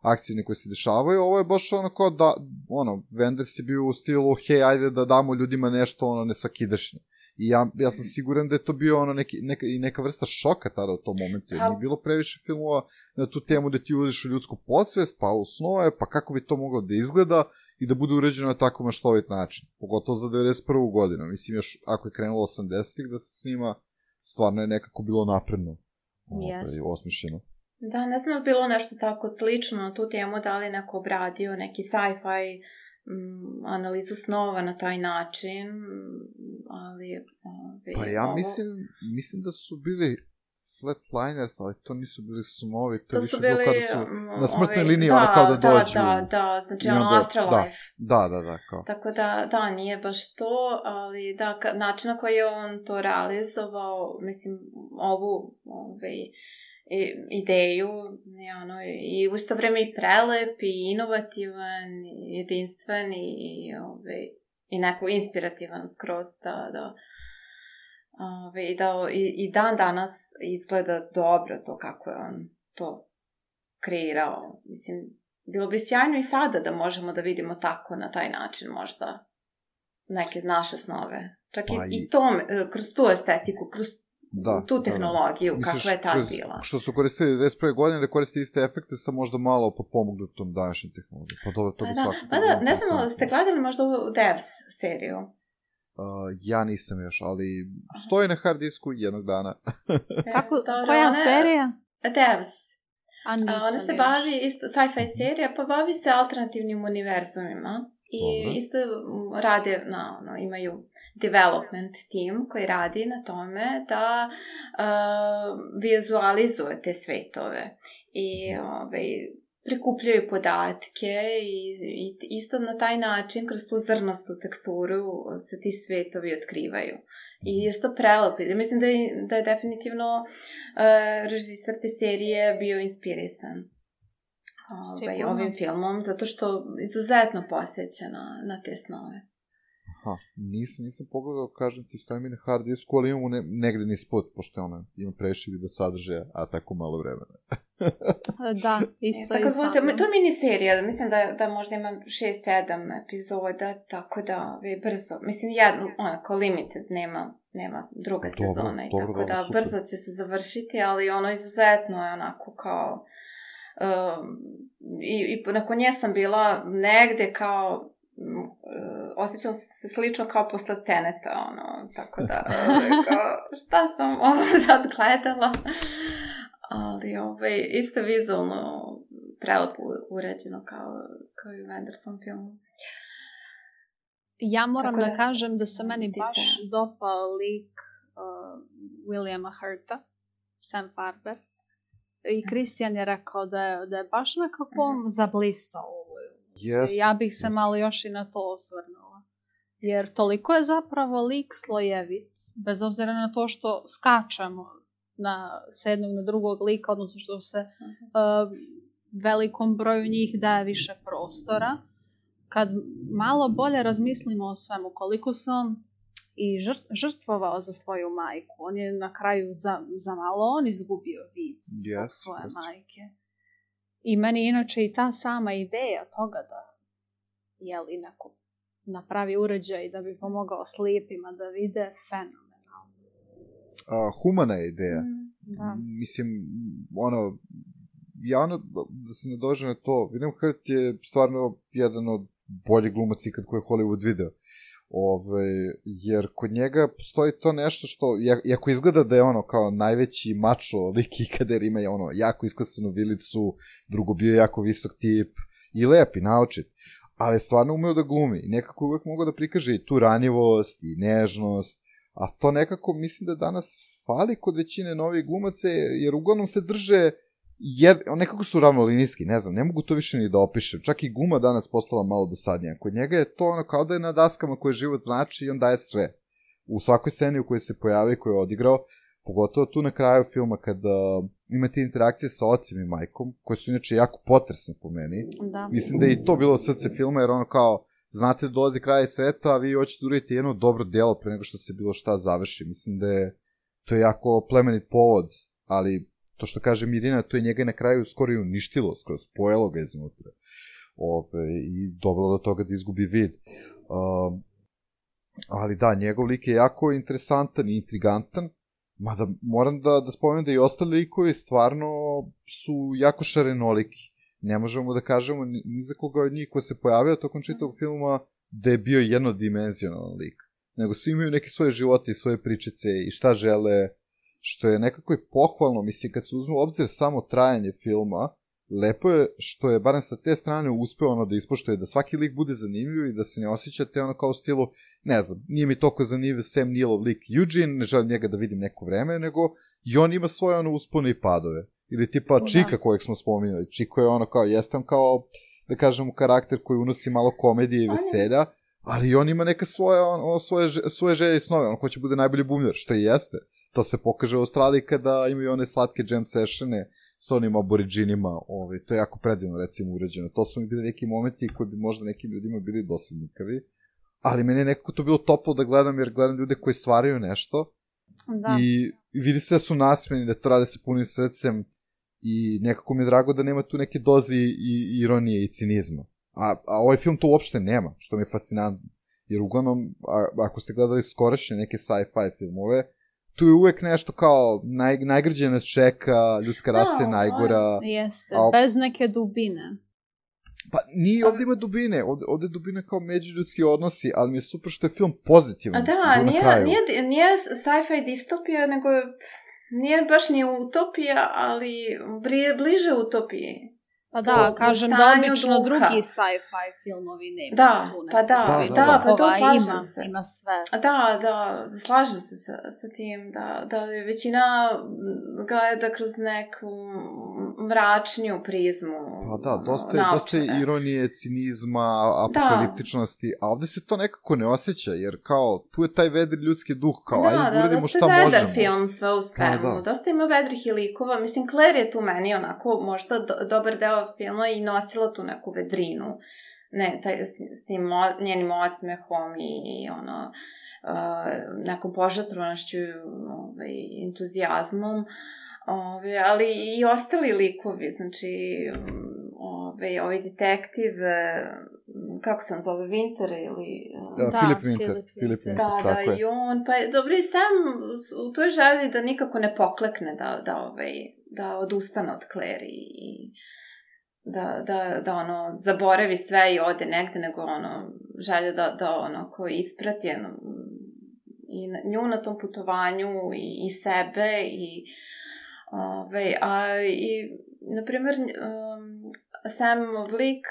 E: akcije koje se dešavaju, ovo je baš ono kao da, ono, Wenders je bio u stilu, hej, ajde da damo ljudima nešto, ono, nesvakidašnje. I ja, ja sam siguran da je to bio ono neki, neka, i neka vrsta šoka tada u tom momentu, jer nije bilo previše filmova na tu temu da ti uđeš u ljudsku podsvest, pa u snove, pa kako bi to moglo da izgleda i da bude uređeno na tako maštovit način. Pogotovo za devedeset prvu godinu. Mislim, još ako je krenulo osamdesetih da se snima, stvarno je nekako bilo napredno.
C: Yes.
E: Osmišljeno.
D: Da, ne znam da bilo nešto tako slično na tu temu, da li neko obradio neki sci-fi m, analizu snova na taj način, ali... Ove,
E: pa ja
D: ovo...
E: mislim, mislim da su bili Flatliners, ali to nisu bili snovi, to,
D: to
E: je više
D: bili,
E: bilo kada su na smrtnoj
D: ove,
E: liniji,
D: da,
E: ono kao da dođu.
D: Da, da, da, znači ono
E: onda,
D: Afterlife.
E: Da, da, da, kao.
D: Tako da, da, nije baš to, ali da, ka, način na koji je on to realizovao, mislim, ovu, ove, i, ideju, je ono, i u isto vreme i prelep, i inovativan, i jedinstven, i, ove, i neko inspirativan skroz, da, da, ove, i, da i, i dan danas izgleda dobro to kako je on to kreirao. Mislim, bilo bi sjajno i sada da možemo da vidimo tako na taj način možda neke naše snove. Čak i, i... i to, kroz tu estetiku, kroz da, tu tehnologiju, da, da. Kakva je tad bila.
E: Što su koristili devedeset prve godine, da koriste iste efekte sa možda malo pomognutom današnjim tehnologijom. Pa dobro, to bi svakako...
D: Pa da, ne znam da ste gledali možda u Devs seriju.
E: Uh, ja nisam još, ali stoji na hard disku jednog dana.
C: Kako, koja serija?
D: Devs.
C: A nisam
D: Ona se bavi, isto, sci-fi serija, pa bavi se alternativnim univerzumima. I Dobre. Isto rade, no, no, imaju development team koji radi na tome da uh, vizualizuje te svetove. I ovaj, prikupljaju podatke i, i isto na taj način, kroz tu zrnastu teksturu, se ti svetovi otkrivaju. I isto prelepi. Mislim da je, da je definitivno uh, režisar te serije bio inspirisan ovaj, ovim filmom, zato što izuzetno posjeća na, na te snove.
E: Aha, nisam, nisam pogledao, kažem ti, stoji mi na hard disku, ali imamo ne, negde nispod, pošto ona ima previše video sadržaja, a tako malo vremena.
C: Da, isto
D: je,
C: i samo.
D: To je miniserija, mislim da, da možda ima šest sedam epizoda, tako da je brzo, mislim jedno, onako limited, nema, nema druga dobro, sezona, i dobro, tako dobro, da super. Brzo će se završiti, ali ono izuzetno je onako kao, um, i, i nakon nje sam bila negde kao, Uh, osjećala se slično kao posle Teneta, ono, tako da, kao, šta sam ovo sad gledala, ali ovaj, isto vizualno prelepo uređeno kao, kao i u Wendersom filmu.
C: Ja moram da, da kažem da se meni baš dopao lik uh, Williama Hurta, Sam Farber, i Kristijan je rekao da je, da je baš nekako uh-huh. zablistao.
E: Yes,
C: ja bih se
E: yes.
C: malo još i na to osvrnula. Jer toliko je zapravo lik slojevit, bez obzira na to što skačemo na, s jednog na drugog lika, odnosno što se uh, velikom broju njih daje više prostora. Kad malo bolje razmislimo o svemu, koliko se on i žrtvovao za svoju majku, on je na kraju za, za malo on izgubio vid zbog yes, svoje yes. majke. I meni inače i ta sama ideja toga da jeli neko napravi uređaj da bi pomogao slijepima da vide fenomenalno.
E: Uh, humana je ideja.
C: Mm, da.
E: Mislim, ono, javno da se ne dođe na to, William Hurt je stvarno jedan od boljih glumaca ikad koje je Hollywood video. Ove, jer kod njega postoji to nešto što, iako izgleda da je ono kao najveći mačo lik ikada, jer ima je ono jako isklasanu vilicu, drugo bio je jako visok tip i lep i naučit, ali stvarno umeo da glumi i nekako uvek mogao da prikaže i tu ranjivost i nežnost, a to nekako mislim da danas fali kod većine novih glumaca, jer uglavnom se drže Jed, nekako su ravnolinijski, ne znam, ne mogu to više ni da opišem. Čak i guma danas postala malo dosadnija. Kod njega je to ono kao da je na daskama koje život znači i on daje sve. U svakoj sceni u kojoj se pojavi i koju je odigrao, pogotovo tu na kraju filma kada imate interakcije sa ocem i majkom, koje su inače jako potresne po meni.
C: Da.
E: Mislim da je i to bilo srce filma, jer ono kao, znate da dolazi kraj sveta, a vi hoćete da uradite jedno dobro delo pre nego što se bilo šta završi. Mislim da je to je jako plemenit povod, ali to što kaže Mirina, to je njega na kraju skoro i uništilo, skoro spojelo ga iznutra. Ove, i dovelo do toga da izgubi vid. Um, ali da, njegov lik je jako interesantan i intrigantan, mada moram da, da spomenem da i ostali likovi stvarno su jako šarenoliki. Ne možemo da kažemo ni, ni za koga od njih ko se pojavio tokom čitavog filma da je bio jednodimenzionalan lik. Nego svi imaju neke svoje živote i svoje pričice i šta žele, što je nekako i pohvalno. Mislim, kad se uzme u obzir samo trajanje filma, lepo je što je, barem sa te strane, uspeo ono da ispoštuje da svaki lik bude zanimljiv i da se ne osjećate ono kao u stilu, ne znam, nije mi toliko zanimljiv Sam Neillov lik Eugene, ne želim njega da vidim neko vreme, nego i on ima svoje ono uspone i padove. Ili tipa o, Čika da. Kojeg smo spominjali. Čiko je ono kao, jesam kao, da kažemo, karakter koji unosi malo komedije i veselja, ali on ima neka svoje, on, svoje, svoje želje i snove, on hoće bude najbolji bumljar, što i jeste. To se pokaže u Australiji kada imaju one slatke jam sessione s onim aboriđinima, ovaj, to je jako predivno recimo urađeno. To su mi bili neki momenti koji bi možda nekim ljudima bili dosadnikavi, ali meni je nekako to bilo toplo da gledam, jer gledam ljude koji stvaraju nešto da. I vidi se da su nasmeni, da to rade sa punim srcem i nekako mi je drago da nema tu neke dozi i ironije i cinizma. A, a ovaj film to uopšte nema, što mi je fascinantno. Jer uglavnom, a, ako ste gledali skorašnje neke sci-fi filmove, tu je uvek nešto kao naj, najgrđe nas čeka, ljudska rasa je najgora.
C: Jeste,
E: a,
C: bez neke dubine.
E: Pa nije, ovdje ima dubine, ovdje, ovdje je dubina kao međuljudski odnosi, ali mi je super što je film pozitivan.
D: A da, nije, nije, nije sci-fi distopija, nego nije baš ni utopija, ali bliže utopiji.
C: Pa da, u, kažem u da obično duha. Drugi sci-fi filmovi nema
D: da,
C: tu
D: pa da, da, da, da, pa to slažem
C: ima,
D: se.
C: Ima sve.
D: Da, da, slažem se sa, sa tim, da, da je većina gleda kroz neku mračniju prizmu.
E: Pa da, dosta je, dosta je ironije, cinizma, apokaliptičnosti, da. A ovde se to nekako ne osjeća, jer kao, tu je taj vedri ljudski duh, kao, da, ajde da uradimo šta možemo. Da, da, da,
D: film sve u svemu, da, da. Dosta ima vedrih i likova, mislim, Claire je tu meni onako možda do, dobar deo filma i nosila tu neku vedrinu, ne, taj, s, s tim o, njenim osmehom i, i ono, uh, nekom požrtvovanošću, ovaj, entuzijazmom, Ove, ali i ostali likovi, znači ove, ovaj detektiv, kako se on zove, Winter ili...
E: Da, da Philip Winter. Philip Winter,
D: da,
E: tako
D: da,
E: je.
D: I on, pa dobro, i sam u toj želji da nikako ne poklekne, da, da, ovaj, da odustane od Claire i da, da, da ono, zaboravi sve i ode negde, nego ono, želja da, da ono, ko isprati ono, i nju na tom putovanju i, i sebe i Ove, a i, na primjer, um, Samov lik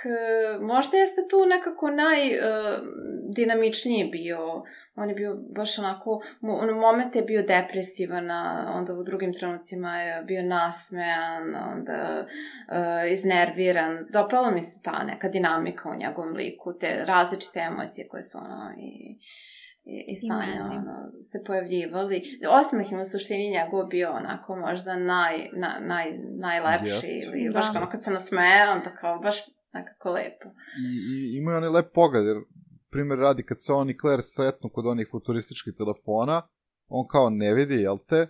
D: možda jeste tu nekako najdinamičniji uh, bio. On je bio baš onako, u momente je bio depresivan, onda u drugim trenucima je bio nasmejan, onda uh, iznerviran. Dopalo mi se ta neka dinamika u njegovom liku, te različite emocije koje su ono i... i, i stanja ono, se pojavljivali. Osmeh im u suštini njegov bio onako možda naj, na, naj, najlepši yes. ili baš kao kad se nasmeje, onda kao baš nekako lepo.
E: I, i ima onaj lep pogled, jer primjer radi kad se on i Claire sretnu kod onih futurističkih telefona, on kao ne vidi, jel te?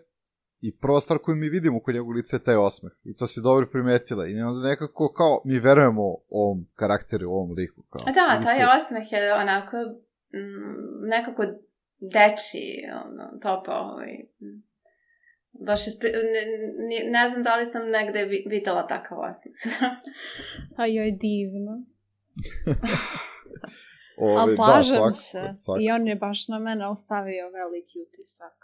E: I prva stvar koju mi vidimo kod njegovog lica je taj osmeh. I to si dobro primetila. I onda nekako kao mi verujemo ovom karakteru, ovom liku. Kao.
D: A da, taj se... osmeh je onako nekako deči, ono, topao. Ovaj. Baš je spri... ne, ne, ne znam da li sam negde videla takav osmeh.
C: A joj, divno.
E: Ove,
C: ali slažem
E: da, svak,
C: se.
E: svak.
C: I on je baš na mene ostavio veliki utisak.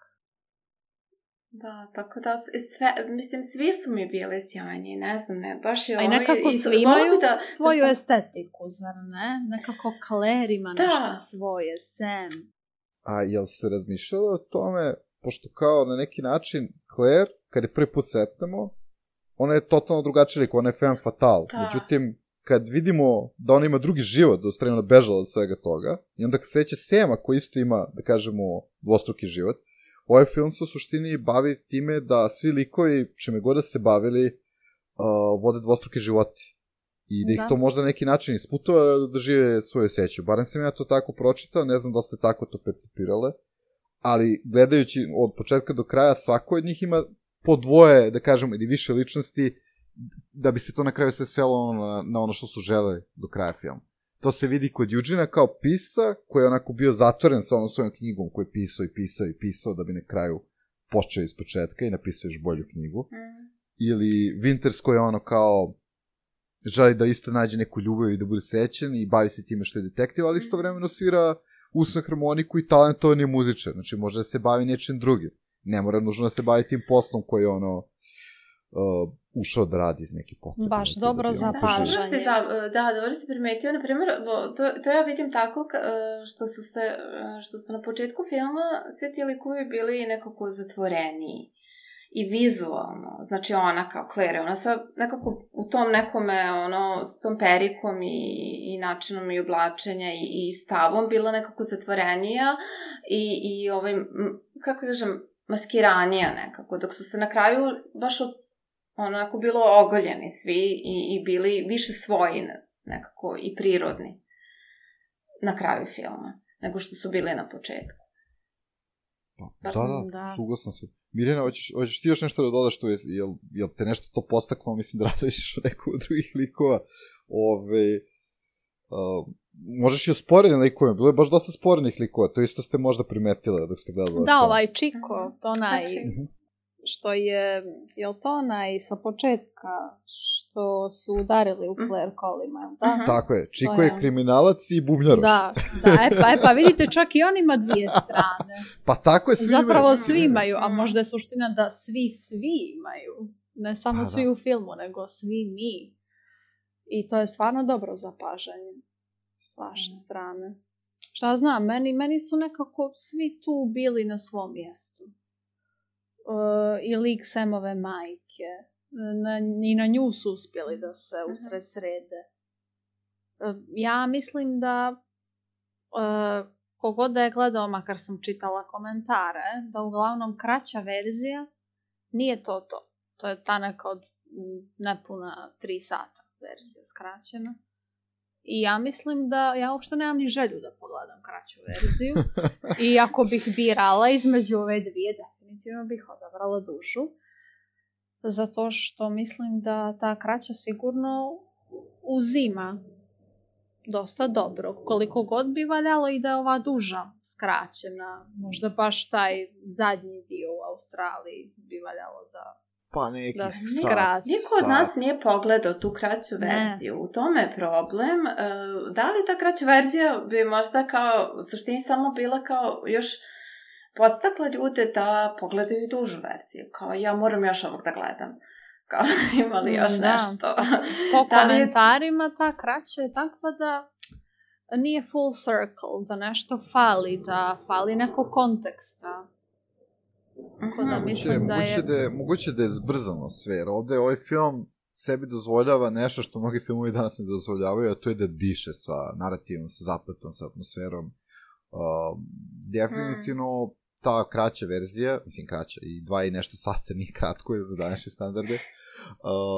D: Da, tako da, sve, mislim, svi su mi bili sjajni, ne znam, ne, baš je
C: ovo... A i nekako svi imaju da, svoju da sam... estetiku, zar ne? Nekako Claire ima da. Nešto svoje, Sam.
E: A jel ste razmišljali o tome, pošto kao na neki način Claire, kad je prvi put setnemo, ona je totalno drugačija lik, ona je femme fatale. Da. Međutim, kad vidimo da ona ima drugi život, da ostavimo ona bežala od svega toga, i onda kad seće Sama, koji isto ima, da kažemo, dvostruki život, ovaj film se u suštini bavi time da svi likovi, čime god da se bavili, uh, vode dvostruke životi. I da ih da. To možda na neki način isputuje da žive svoju seću. Barem sam ja to tako pročitao, ne znam da ste tako to percipirale, ali gledajući od početka do kraja, svako od njih ima po dvoje, da kažemo, ili više ličnosti, da bi se to na kraju sve svelo na, na ono što su želeli do kraja filma. To se vidi kod Eugena kao pisa, koji je onako bio zatvoren sa onom svojom knjigom, koji je pisao i pisao i pisao, da bi na kraju počeo iz početka i napisao još bolju knjigu. Mm. Ili Winters koji je ono kao želi da isto nađe neku ljubav i da bude sećan i bavi se time što je detektiv, ali istovremeno svira usnu harmoniku i talentovan je muzičar. Znači može da se bavi nečim drugim. Ne mora nužno da se bavi tim poslom koji je ono uh, ušao da radi iz neke potrebe.
C: Baš dobro zapažanje.
D: Da, dobro si primetio. Na primjer, to, to ja vidim tako što su, se, što su na početku filma sve ti likovi bili nekako zatvoreniji. I vizualno, znači ona kao Claire, ona sa nekako u tom nekome, ono, s tom perikom i, i načinom i oblačenja i, i stavom bila nekako zatvorenija i, i ovaj, kako kažem, maskiranija nekako, dok su se na kraju baš od, onako bilo ogoljeni svi i, i bili više svoji nekako i prirodni na kraju filma, nego što su bili na početku.
E: Pa, da, da, da, suglasan sam. Mirjana, hoćeš, hoćeš ti još nešto da dodaš tu, je, jel, jel te nešto to postaklo, mislim da radoviš o neku od drugih likova, ove, uh, možeš i o sporednim likovima, bilo je baš dosta sporednih likova, to isto ste možda primetili dok ste gledali.
C: Da, ovaj Chico, to onaj, što je, je li to onaj sa početka, što su udarili u Claire Colima, da?
E: Tako je, Chico je, je kriminalac i bubnjaroš.
C: Da, da, e pa, e pa vidite, čak i on ima dvije strane.
E: Pa tako je, svi imaju.
C: Zapravo svi imaju, a možda je suština da svi, svi imaju. Ne samo pa, svi da. U filmu, nego svi mi. I to je stvarno dobro zapažanje s vaše strane. Šta znam, meni, meni su nekako svi tu bili na svom mjestu. Uh, i lik Samove majke. Na, I na nju su uspjeli da se usred srede. Uh, ja mislim da uh, kogod da je gledao, makar sam čitala komentare, da uglavnom kraća verzija nije to to. To je ta neka od nepuna tri sata verzija skraćena. I ja mislim da ja uopšte nemam ni želju da pogledam kraću verziju. I ako bih birala između ove dvije, definitivno bih odabrala dužu. Zato što mislim da ta kraća sigurno uzima dosta dobro. Koliko god bi valjalo i da je ova duža skraćena. Možda baš taj zadnji dio u Australiji bi valjalo da...
E: Pa neki
C: da
E: sat.
D: Niko od nas nije pogledao tu kraću verziju. Ne. U tome je problem. Da li ta kraća verzija bi možda kao, u suštini samo bila kao još podstakla ljude da pogledaju dužu verziju. Kao ja moram još ovog da gledam. Kao imali još da. Nešto.
C: Po komentarima ta kraća je takva da nije full circle, da nešto fali, da fali neko konteksta. Da mislim da
E: je... Da je... Moguće da je zbrzano sve, jer ovde ovaj film sebi dozvoljava nešto što mnogi filmovi danas ne dozvoljavaju, a to je da diše sa narativom, sa zapletom, sa atmosferom. Uh, definitivno mm. ta kraća verzija, mislim kraća, i dva i nešto sata nije kratko za današnje standarde, uh,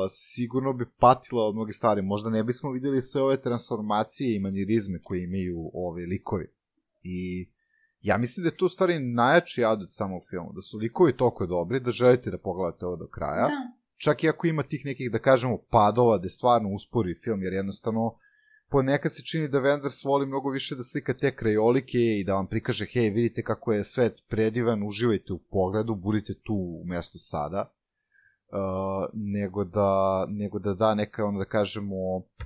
E: sigurno bi patila od mnogi stvari. Možda ne bismo vidjeli sve ove transformacije i manirizme koje imaju ove likovi. I ja mislim da je to u stvari najjači adut samog filmu, da su likovi toliko dobri da želite da pogledate ovo do kraja. Da. Čak i ako ima tih nekih, da kažemo, padova da stvarno uspori film, jer jednostavno ponekad se čini da Wenders voli mnogo više da slika te krajolike i da vam prikaže, hej, vidite kako je svet predivan, uživajte u pogledu, budite tu u mjestu sada, uh, nego, da, nego da da neka, ono da kažemo,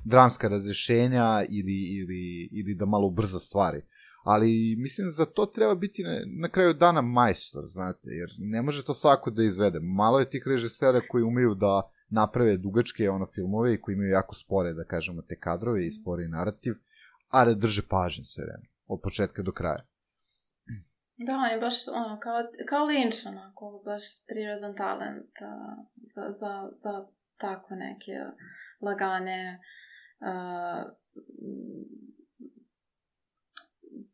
E: dramska razrešenja ili, ili, ili da malo ubrza stvari. Ali mislim za to treba biti na, na kraju dana majstor, znate, jer ne može to svako da izvede. Malo je tih režisera koji umeju da naprave dugačke ono filmove i koji imaju jako spore, da kažemo, te kadrove i spore narativ, a da drže pažnju sve vreme, od početka do kraja.
D: Da, on je baš ono, kao, kao Lynch, onako, baš prirodan talent a, za, za, za tako neke lagane a,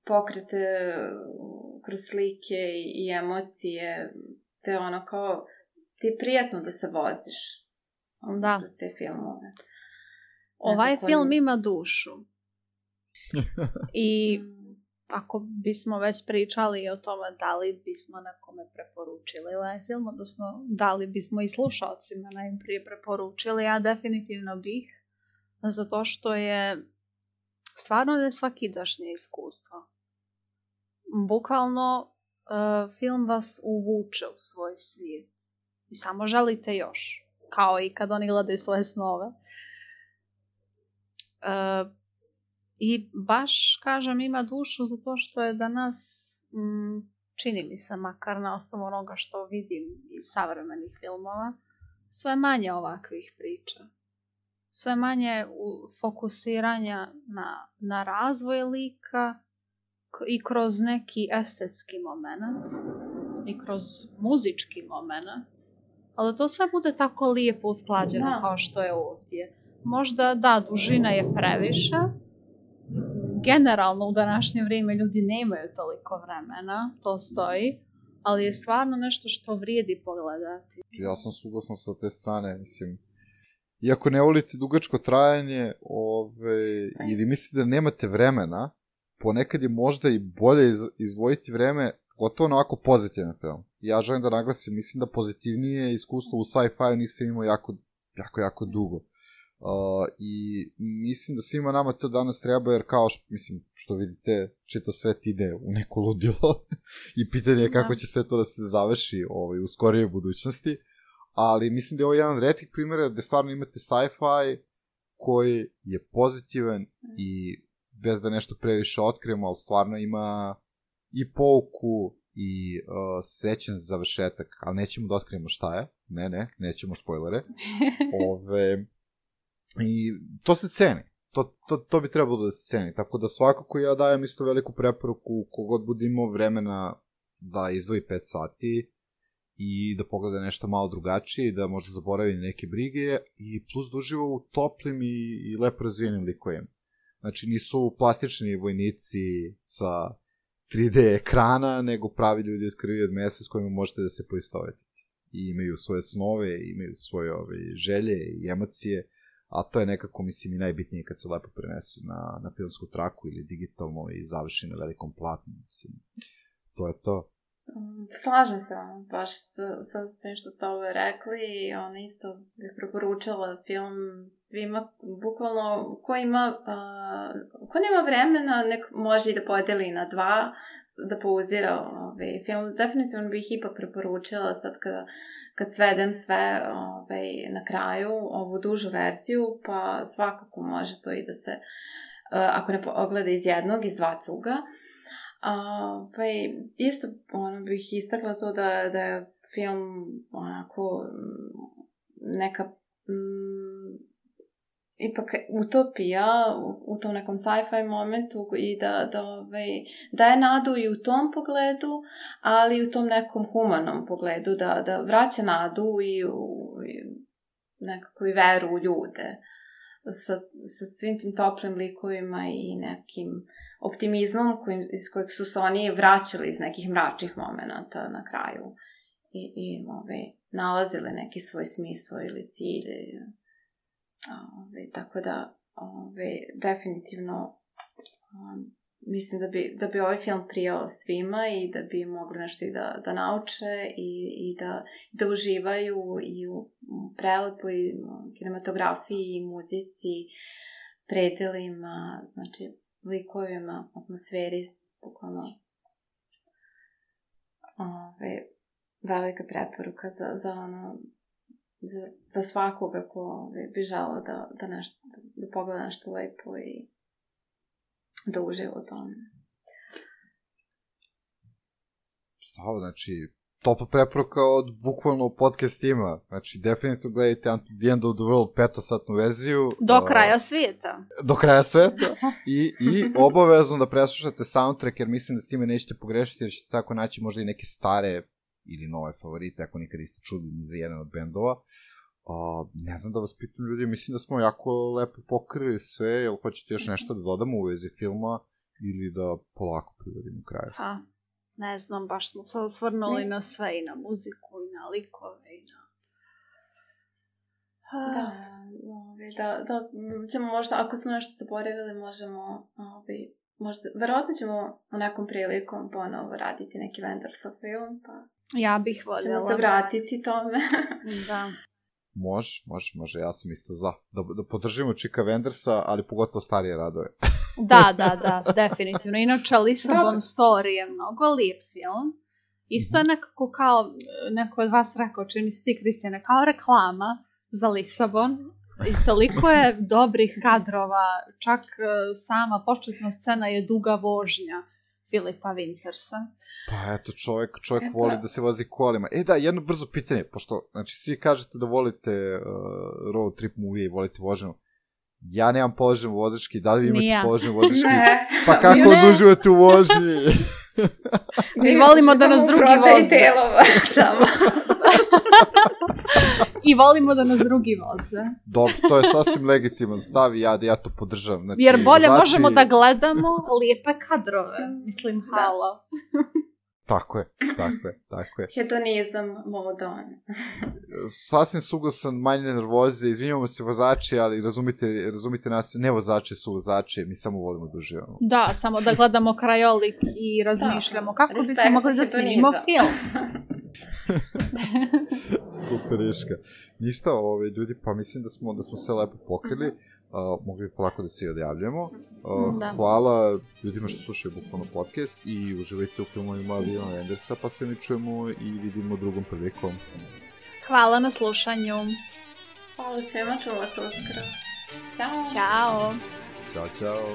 D: pokrete kroz slike i, i emocije, te ono kao, ti je prijatno da se voziš
C: da.
D: Kroz te filmove.
C: Ovaj Nekako film ima dušu. I ako bismo već pričali o tome da li bismo nekome preporučili ovaj film, odnosno da li bismo i slušalcima najprije preporučili, ja definitivno bih, zato što je stvarno nesvakidašnje iskustvo. Bukvalno uh, film vas uvuče u svoj svijet i samo želite još, kao i kad oni gledaju svoje snove. Uh, I baš, kažem, ima dušu zato što je danas, mm, čini mi se, makar na osnovu onoga što vidim iz savremenih filmova, sve manje ovakvih priča. Sve manje fokusiranja na, na razvoj lika i kroz neki estetski moment i kroz muzički moment. Ali to sve bude tako lijepo usklađeno da. Kao što je ovdje. Možda, da, dužina je previše. Generalno u današnje vrijeme ljudi nemaju toliko vremena, to stoji, ali je stvarno nešto što vrijedi pogledati.
E: Ja sam suglasan sa te strane, mislim, iako ne volite dugačko trajanje, ove, ili mislite da nemate vremena, ponekad je možda i bolje iz, izdvojiti vreme, gotovo na ovako pozitivan film. Ja želim da naglasim, mislim da pozitivnije iskustvo u sci-fi nisam imao jako, jako, jako dugo. Uh, i mislim da svima nama to danas treba, jer kao što, mislim, što vidite, čito svet ide u neko ludilo i pitanje je kako će sve to da se završi ovaj, u skorijoj budućnosti, ali mislim da je ovo jedan od retkih primjera gde stvarno imate sci-fi koji je pozitivan i bez da nešto previše otkrijemo, ali stvarno ima i pouku i uh, srećan završetak, ali nećemo da otkrijemo šta je, ne, ne, nećemo spoilere. Ove... I to se ceni. To, to, to bi trebalo da se ceni. Tako da svakako ja dajem isto veliku preporuku kogod bude imao vremena da izdvoji pet sati i da pogleda nešto malo drugačije, da možda zaboravi neke brige i plus da uživa u toplim i, i lepo razvijenim likovima. Znači nisu plastični vojnici sa tri D ekrana, nego pravi ljudi od krvi i od mesa s kojima možete da se poistovetite. I imaju svoje snove, imaju svoje ove, želje i emocije. A to je nekako, mislim, i najbitnije kad se lepo prenese na, na filmsku traku ili digitalno i završi na velikom platnu, mislim. To je to.
D: Slažem se vam baš sa, sa svim što ste ovo rekli i ona isto bih preporučila film svima, bukvalno ko ima, uh, ko nema vremena, nek može i da podeli na dva, da pauzira ovaj film. Definitivno bih ipak preporučila sad kada, kad svedem sve ovaj, na kraju, ovu dužu verziju, pa svakako može to i da se, uh, ako ne ogleda iz jednog, iz dva cuga. Uh, pa i isto ono, bih istakla to da, da je film onako neka m, ipak utopija u, u tom nekom sci-fi momentu i da, da, ovaj, da je nadu i u tom pogledu, ali i u tom nekom humanom pogledu, da, da vraća nadu i, u, i nekako i veru u ljude. Sa, sa svim tim toplim likovima i nekim optimizmom kojim, iz kojeg su se oni vraćali iz nekih mračnih momenata na kraju i, i ove, nalazili neki svoj smisao ili cilj. Ove, tako da ove, definitivno um, mislim da bi, da bi ovaj film prijao svima i da bi mogli nešto i da, da nauče i, i da, da uživaju i u prelepoj kinematografiji i muzici, predelima, znači likovima, atmosferi, bukvalno ove, velika preporuka za, za ono za, za svakoga ko ove, bi želao da, da, nešto, da pogleda nešto lepo i da uživa u tome.
E: Stavo, znači, topla preporuka od bukvalno podcast tima. Znači, definitivno gledajte Until the End of the World petosatnu verziju.
C: Do kraja svijeta.
E: Do kraja svijeta. I, i obavezno da preslušate soundtrack, jer mislim da s time nećete pogrešiti, jer ćete tako naći možda i neke stare ili nove favorite, ako nikad niste čuli ni za jedan od bendova. Uh, ne znam da vas pitam ljudi, mislim da smo jako lepo pokrili sve, jel hoćete još nešto da dodamo u vezi filma ili da polako privedimo kraju?
C: Pa, ne znam, baš smo se osvrnuli na sve i na muziku i na likove i na...
D: Da, da, da, ćemo možda, ako smo nešto zaboravili, možemo ovi, možda, verovatno ćemo u nekom prilikom ponovo raditi neki Wendersov film, pa
C: Ja bih voljela.
D: ćemo se vratiti tome.
C: Da.
E: Može, može, može, ja sam isto za. Da, da podržimo Čika Wendersa, ali pogotovo starije radove.
C: Da, da, da, definitivno. Inače, Lisabon
D: Dobro.
C: Story je mnogo lijep film. Isto je nekako kao, neko od vas rekao, čini mi se ti, Kristijane, kao reklama za Lisabon. I toliko je dobrih kadrova, čak e, sama početna scena je duga vožnja Filipa Wintersa.
E: Pa eto, čovjek, čovjek
D: E,
E: voli
D: pa.
E: da se vozi kolima. E da, jedno brzo pitanje, pošto, znači, svi kažete da volite uh, road trip movie i volite vožnju. Ja nemam položen vozački, da li vi
C: Ni ja.
E: imate položen vozački?
D: Ne.
E: Pa kako
D: Mi ne.
E: oduživate u vožnji?
C: Mi volimo da nas
D: imamo
C: drugi
D: prodaj
C: voze.
D: delova samo.
C: I volimo da nas drugi voze.
E: Dobro, to je sasvim legitiman stav i ja, ja to podržavam. Znači,
C: Jer bolje
E: vozači-
C: možemo da gledamo lijepe kadrove. Mislim,
D: Da.
C: halo.
E: Tako je, tako je, tako je.
D: Hedonizam modon.
E: Sasvim suglasan, manje nervoze, izvinjamo se vozači, ali razumite, razumite nas, ne vozači su vozači, mi samo volimo da uživamo.
C: Da, samo da gledamo krajolik i razmišljamo kako
D: Respekt
C: bismo mogli da
D: za
C: snimimo
D: hedonizam.
C: film.
E: Super, Iška. Ništa, ove, ljudi, pa mislim da smo, da smo sve lepo pokrili, uh, mogli bi polako da se i odjavljamo. Uh,
C: Da.
E: Hvala ljudima što slušaju bukvalno podcast i uživajte u filmovima Wima Wendersa, pa se mi čujemo i vidimo drugom prilikom.
C: Hvala na slušanju.
D: Hvala svima, čuvala se uskoro. Ćao.
C: Ćao.
E: Ćao, ćao.